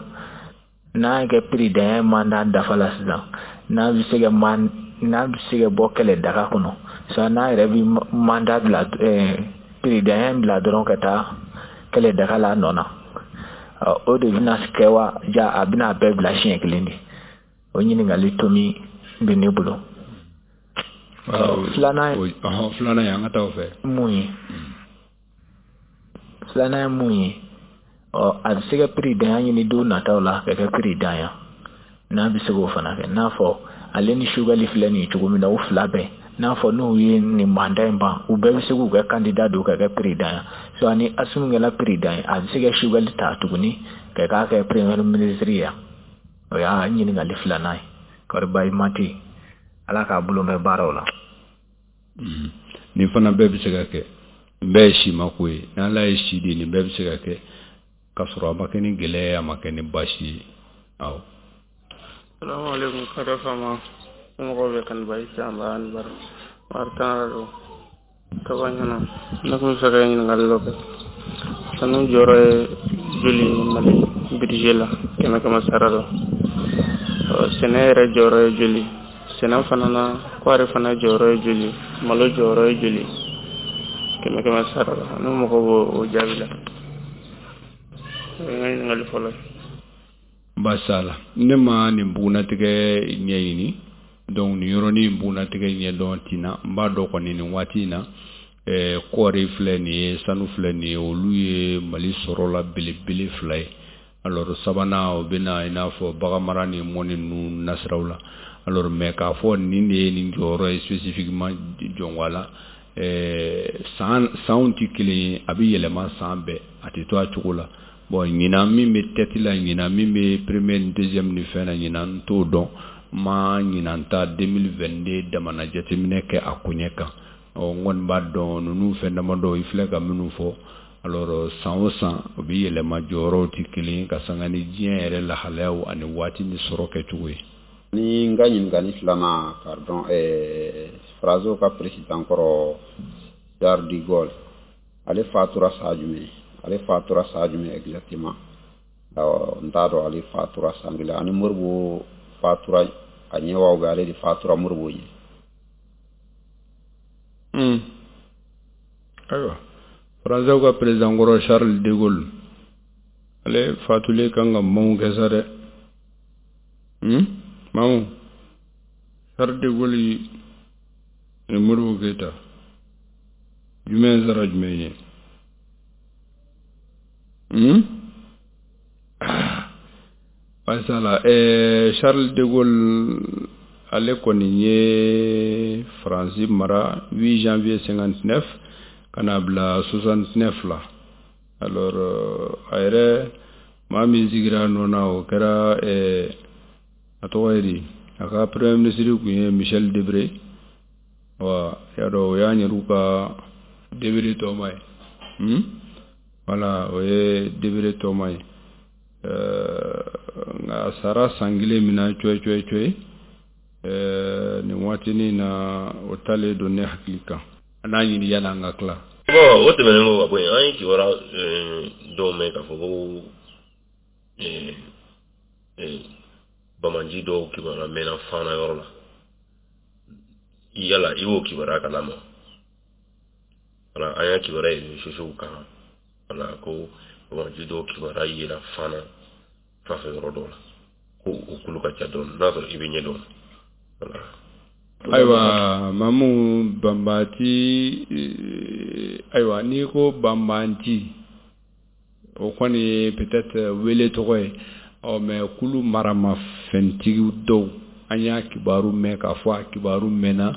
n'a kɛ président mandat dafa la sisan, n'a bɛ se ka man n'a bɛ se ka bɔ kɛlɛ daga kɔnɔ sisan, n'a yɛrɛ bɛ mandat bila, président bila dɔrɔn ka taa kɛlɛ daga la a nɔ na, o de bɛna kɛ wa, ja a bɛna a bɛɛ bila siɲɛ kelen de? O ɲininkali tomi bɛ ne bolo. Filanan Filanan ye, an ka taa o fɛ. Mun ye filanan ye? Mun ye? Ɔ, a bɛ se ka président ɲini don nataw la ka kɛ président ya, n'a bɛ se k'o fana kɛ, n'a fɔ ale ni Choguel filɛ nin ye cogo min na, u fila bɛɛ, n'a fɔ n'u ye nin mandat in ban, u bɛɛ bɛ se k'u kɛ candidat don ka kɛ président ya. So ani Assimi kɛla président ye, a bɛ se ka Choguel ta tuguni ka k'a kɛ premier ministre ya? O y'a ɲininkali filanan ye. Kɔri baasi ma tɛ yen, Ala k'a bolo mɛn baaraw la. Nin fana bɛɛ bɛ se ka kɛ, nin bɛɛ ye simako ye. N'Ala ye si di, nin bɛɛ bɛ se ka kɛ k'a sɔrɔ a ma kɛ ni gɛlɛya ye, a ma kɛ ni baasi ye. Awɔ. Salamu alaikum, kare fama, somɔgɔw bɛ? Kaniba i can ba ni bara wari tan don kaba ɲɛna. Ne tun bɛ fɛ ka ɲininkali dɔ kɛ. Sanu jɔyɔrɔ ye joli ye Mali budget la, kɛmɛ kɛmɛ sara la? Sɛnɛ yɛrɛ jɔyɔrɔ ye joli sɛnɛ fana na? Kɔɔri fana jɔyɔrɔ ye joli? Malo jɔyɔrɔ ye joli kɛmɛ kɛmɛ sara la? Ne mago b'o o jaabi la. O ye n ka ɲininkali fɔlɔ ye. Basala, ne ma nin bugunatigɛ ɲɛɲini, donc nin yɔrɔnin bugunatigɛ ɲɛdɔn tina. N b'a dɔn kɔni, nin waati in na, kɔɔri filɛ nin ye, sanu filɛ nin ye, olu ye Mali sɔrɔ la belebele fila ye. Alors sabanan, o bɛ na i n'a fɔ baganmara ni mɔni ninnu nasiraw la. Alors mais k'a fɔ nin de ye nin jɔyɔrɔ ye spécifiquement jɔnwa la, san sanw tɛ kelen ye, a bɛ yɛlɛma san bɛɛ, a tɛ to a cogo la. Bon, ɲinan min bɛ tête la, ɲinan min bɛ premier ni deuxième ni fɛn na, ɲinan n t'o dɔn. Ma ɲinan ta 2022 damana jateminɛ kɛ a koɲɛ kan. Ɔ, n kɔni b'a dɔn ninnu fɛn damadɔ i filɛ ka minnu fɔ. Alors san o san, o bɛ yɛlɛma, jɔyɔrɔw tɛ kelen ye, ka sanga ni diɲɛ yɛrɛ lahalayaw ani waati ni sɔrɔ kɛcogo ye. Ni n ka ɲininkali filanan, pardon, Faransiw ka président kɔrɔ Charles de Gaulle, ale fatura san jumɛn? Ale fatura san jumɛn exactement? Awɔ, n t'a dɔn ale fatura san kelen ani Modibo fatura a ɲɛ wa, bɛ ale de fatura Modibo ɲɛ? Ayiwa, Faransiw ka président kɔrɔ Charles de Gaulle, ale fatulen kan ka maaw kɛ sa dɛ. Mamu, Charles de Gaulle ni Modibo Keyita, jumɛn sara jumɛn ye? Basala, Charles de Gaulle, ale kɔni ye Faransi mara 8 janvier 59 ka na bila 69 la. Alors a yɛrɛ, maa min sigira a nɔ na, o kɛra a tɔgɔ ye di, a ka premier ministre tun ye Michel Debré wa. Y'a dɔn, o y'an yɛrɛw ka Debré tɔma ye. Voilà, o ye Debré tɔma ye. Nka a sara san kelen min na cɔyi cɔyi cɔyi, nin waatinin na, o talen don ne hakili kan. An n'a ɲini yanni an ka tila. Bon, o tɛmɛnen kɔ ka bɔ yen, an ye kibaruya dɔw mɛn k'a fɔ ko banbaanci dɔw kibaruya mɛnna Fana yɔrɔ la. Yala i b'o kibaruya kalama? Wala an y'a kibaruya ye réseaux sociaux kan, wala ko banbaanci dɔw kibaruya yera Fana fanfɛ yɔrɔ dɔw la, ko o kulu ka ca dɔɔnin. N'a sɔrɔ i bɛ ɲɛ dɔn, wala. Ayiwa Mamu, banbaanci, ayiwa, n'i ko banbaanci, o kɔni ye peut-être wele tɔgɔ ye. Ɔ, mais kulu maramafɛntigi dɔw, an y'a kibaru mɛn k'a fɔ a kibaru mɛnna.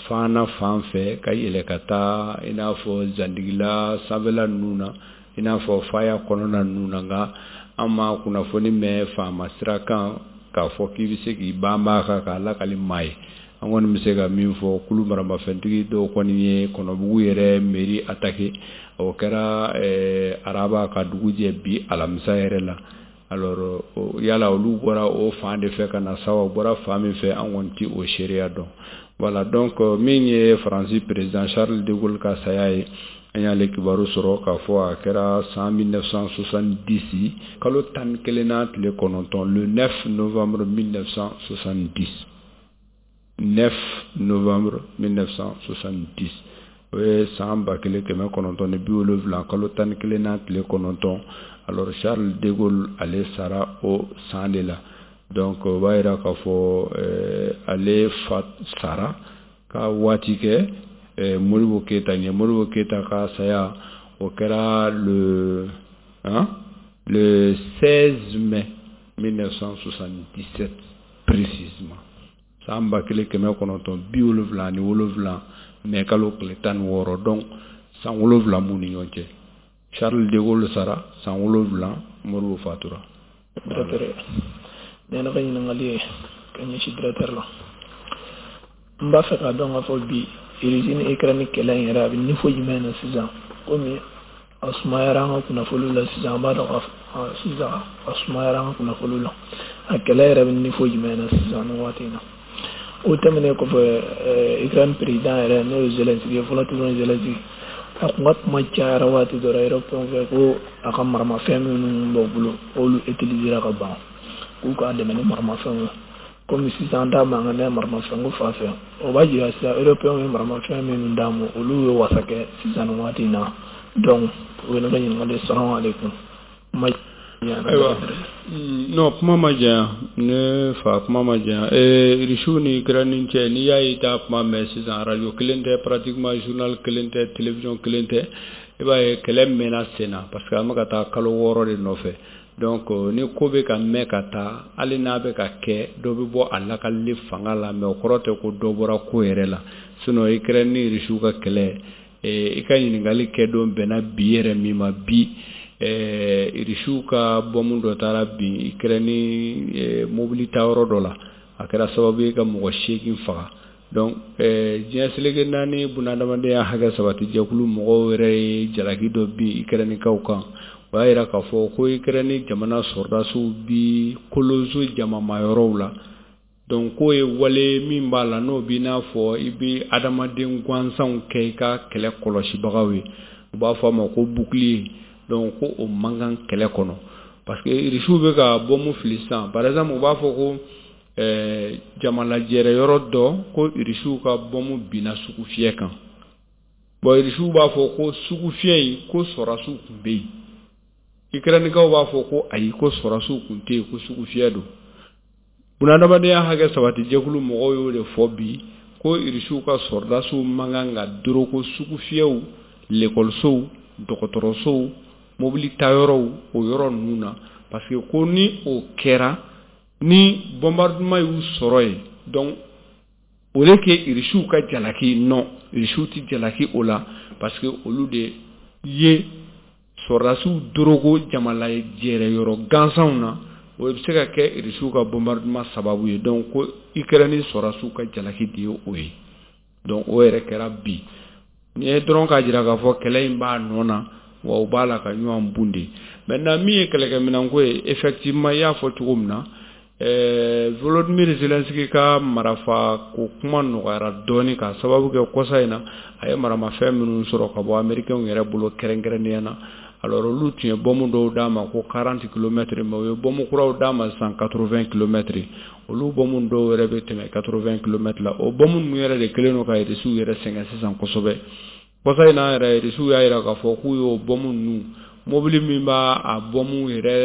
Fana fan fɛ ka yɛlɛ ka taa i n'a fɔ Zandigila sanfɛla ninnu na, i n'a fɔ Faya kɔnɔna ninnu na. Nka an ma kunnafoni mɛn faama sira kan k'a fɔ k'i bɛ se k'i banba a kan k'a lakali maa ye. An kɔni bɛ se ka min fɔ, kulu maramafɛntigi dɔw kɔni ye Kɔnɔbugu yɛrɛ mairie attaqué. O kɛra araba ka dugu jɛ bi alamisa yɛrɛ la. Alors yala olu bɔra o fan de fɛ ka na sa, o bɔra fan min fɛ, an kɔni ti o seereya dɔn. Voilà, donc min ye Faransi président Charles de Gaulle ka saya ye, an y'ale kibaru sɔrɔ k'a fɔ a kɛra san 1970 kalo 11nan tile 9, le 9 novembre 1970. 9 novembre 1970, o ye san 1970 kalo 11nan tile 9. Alors Charles de Gaulle, ale sara o san de la. Donc o b'a yira k'a fɔ ale fa sara ka waati kɛ Modibo Keyita ɲɛ. Modibo Keyita ka saya, o kɛra le 16 mai 1977 précisément, san 1977 mai kalo tile 16. Donc san 7 b'u ni ɲɔgɔn cɛ. Charles de Gaulle sara san 7, Modibo fatura. Directeur, ne ka ɲininkali ye ka ɲɛsin directeur la. N b'a fɛ k'a dɔn k'a fɔ bi Russie ni Ukraine kɛlɛ in yɛrɛ, a bɛ niveau jumɛn na sisan? Komi a sumayara an ka kunnafoniw la sisan, an b'a dɔn k'a sisan a sumayara an ka kunnafoniw la. A kɛlɛ yɛrɛ bɛ niveau jumɛn na sisan nin waati in na? O tɛmɛnen kɔfɛ, Ukraine président yɛrɛ, n'o ye Zelensky ye, Volodymyr Zelensky, a kun ka kuma cayara waati dɔ la européen fɛ ko a ka maramafɛn minnu b'u bolo, k'olu utilisera ka ban, k'u k'a dɛmɛ ni maramafɛnw ye. Komi sisan an t'a mankan mɛn maramafɛn ko fan fɛ, o b'a jira sisan européen ye maramafɛn minnu d'an ma, olu ye wasa kɛ sisan nin waati in na. Donc o ye ne ka ɲininkali ye. Salamu aleykum. Ayiwa, non, kuma ma janya, ne fa, kuma ma janya. Irisiw ni Ukraine cɛ, n'i y'a ye i t'a kuma mɛn sisan, radio kelen tɛ, pratiquement journal kelen tɛ, télévision kelen tɛ, i b'a ye kɛlɛ mɛnna sen na, parce que an bɛ ka taa kalo 6 de nɔfɛ. Donc ni ko bɛ ka mɛn ka taa, hali n'a bɛ ka kɛ, dɔ bɛ bɔ a lakalili fanga la, mais o kɔrɔ tɛ ko dɔ bɔra ko yɛrɛ la. Sinon Ukraine ni Irisiw ka kɛlɛ, i ka ɲininkali kɛ don bɛnna bi yɛrɛ min ma bi, Irisiw ka bɔmu dɔ taara bin Ukraine mobili taayɔrɔ dɔ la, a kɛra sababu ye ka mɔgɔ 8 faga. Donc diɲɛ seleke naani bunahadamadenya hakɛ sabati jɛkulu mɔgɔw yɛrɛ ye jalaki dɔ bin Ukrainekaw kan. O y'a yira k'a fɔ ko Ukraine jamana sɔrɔdasiw bi kolonso jamamayɔrɔw la. Donc k'o ye wale min b'a la, n'o b'i n'a fɔ i bɛ adamaden gansanw kɛ i ka kɛlɛ kɔlɔsibagaw ye, u b'a fɔ a ma ko bouclier. Donc ko o man kan kɛlɛ kɔnɔ, parce que Irisiw bɛ ka bɔmu fili sisan. Par exemple, u b'a fɔ ko jamalajɛrɛ yɔrɔ dɔ, ko Irisiw ka bɔmu binna sugufiyɛ kan. Bon, Irisiw b'a fɔ ko sugufiyɛ in, ko sɔrɔdasiw tun bɛ yen. Ukrainekaw b'a fɔ ko ayi, ko sɔrɔdasiw tun tɛ yen, ko sugufiyɛ don. Bunahadamadenya hakɛ sabati jɛkulu mɔgɔw y'o de fɔ bi, ko Irisiw ka sɔrɔdasiw man kan ka doroko sugufiyɛw, lekɔlisow, dɔgɔtɔrɔsow, mobili tayɔrɔw, o yɔrɔ ninnu na, parce que ko ni o kɛra, ni bombardement y'u sɔrɔ yen, donc au lieu que Irisiw ka jalaki, non, Irisiw ti jalaki o la, parce que olu de ye sɔrɔdasiw doroko jamalajɛrɛ yɔrɔ gansanw na, o bɛ se ka kɛ Irisiw ka bombardement sababu ye. Donc ko Ukraine sɔrɔdasiw ka jalaki de ye o ye. Donc o yɛrɛ kɛra bi nin ye dɔrɔn k'a jira k'a fɔ kɛlɛ in b'a nɔ na, wa u b'a la ka ɲɔgɔn bunde. Maintenant, min ye kɛlɛkɛminɛnko ye, effectivement, i y'a fɔ cogo min na, Volodymyr Zelensky ka marafa ko kuma nɔgɔyara dɔɔni k'a sababu kɛ kɔsa in na a ye maramafɛn minnu sɔrɔ ka bɔ américains yɛrɛ bolo kɛrɛnkɛrɛnnenya na. Alors olu tun ye bɔmu dɔw d'a ma ko 40 kilomètres, mais u ye bɔmu kuraw d'a ma sisan 80 kilomètres. Olu bɔmu dɔw yɛrɛ bɛ tɛmɛ 80 kilomètres la. O bɔmu ninnu yɛrɛ de kɛlen don ka Irisiw yɛrɛ sɛgɛn sisan kosɛbɛ. Kɔsa in na yɛrɛ, Irisiw y'a jira k'a fɔ k'u y'o bɔmu ninnu, mobili min b'a a bɔmu yɛrɛ,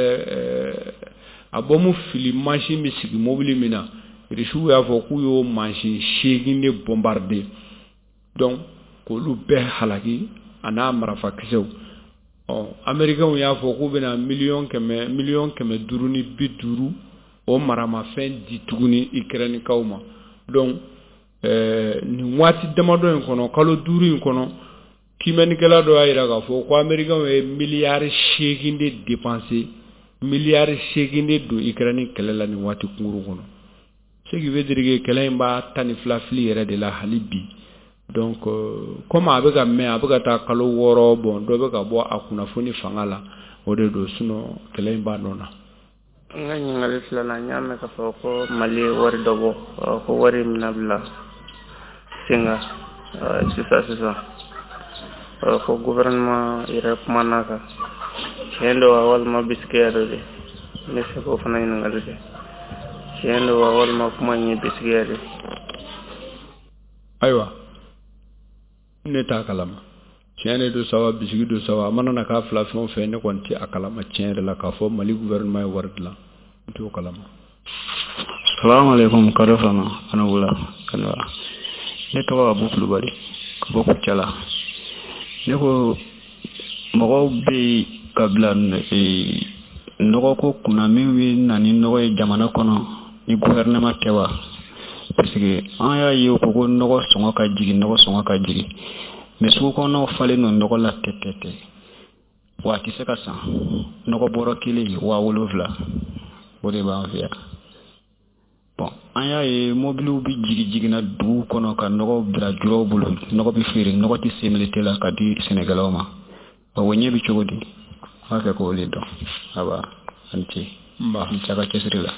a bɔmu fili mansin bɛ sigi mobili min na, Irisiw y'a fɔ k'u y'o mansin 8 de bombarder, donc k'olu bɛɛ halaki a n'a marafakisɛw. Ɔ américains y'a fɔ k'u bɛna miliyɔn 100, miliyɔn 550 o maramafɛn di tuguni Ukrainekaw ma. Donc Nin waati damadɔ in kɔnɔ, kalo 5 in kɔnɔ, kiimɛnikɛla dɔ y'a jira k'a fɔ ko américains ye miliyari 8 de dépenser, miliyari 8 de don Ukraine kɛlɛ la nin waati kunkurun kɔnɔ. Ce qui veut dire que kɛlɛ in b'a 12 fili yɛrɛ de la hali bi. Donc comme a bɛ ka mɛn, a bɛ ka taa kalo 6 bɔn, dɔ bɛ ka bɔ a kunnafoni fanga la, o de don, sinon kɛlɛ in b'a nɔ na. N ka ɲininkali filanan, n y'a mɛn k'a fɔ ko Mali ye wari dɔ bɔ, ko wari in bɛna bila sen kan sisan sisan, ko gouvernement yɛrɛ kumana kan. Tiɲɛ don wa walima bisikiya dɔ de? N bɛ fɛ k'o fana ɲininkali kɛ. Tiɲɛ don wa walima kuma in ye bisikiya de? Ayiwa, ne t'a kalama. Tiɲɛ de don sa wa, bisigi don sa wa, a mana na k'a fila fɛn o fɛn, ne kɔni tɛ a kalama tiɲɛ yɛrɛ la k'a fɔ Mali gouvernement ye wari dilan, n t'o kalama. Salamu alaikum, Kado Fama, Anawula, Kanwa. Ne tɔgɔ Abu Kulubali, ka bɔ Kucala. Ne ko mɔgɔw bɛ yen ka bila nɔgɔko kunna min bɛ na ni nɔgɔ ye jamana kɔnɔ ni gouvernement tɛ wa? Parce que an y'a ye ko nɔgɔ sɔngɔ ka jigin, nɔgɔ sɔngɔ ka jigin. Mais sugu kɔnɔnaw falen don nɔgɔ la tɛtɛtɛ. Wa a tɛ se ka san. Nɔgɔ bɔrɔ kelen 7,000. O de b'an fɛ yan. Bon, an y'a ye mobiliw bɛ jigin jiginna dugu kɔnɔ ka nɔgɔ bila juraw bolo. Nɔgɔ bɛ feere, nɔgɔ tɛ semilite la ka di sɛnɛkɛlaw ma. O ɲɛ bɛ cogo di? N b'a fɛ k'o de dɔn. Aba, a ni ce. Nba. Ni ce a ka cɛsiri la.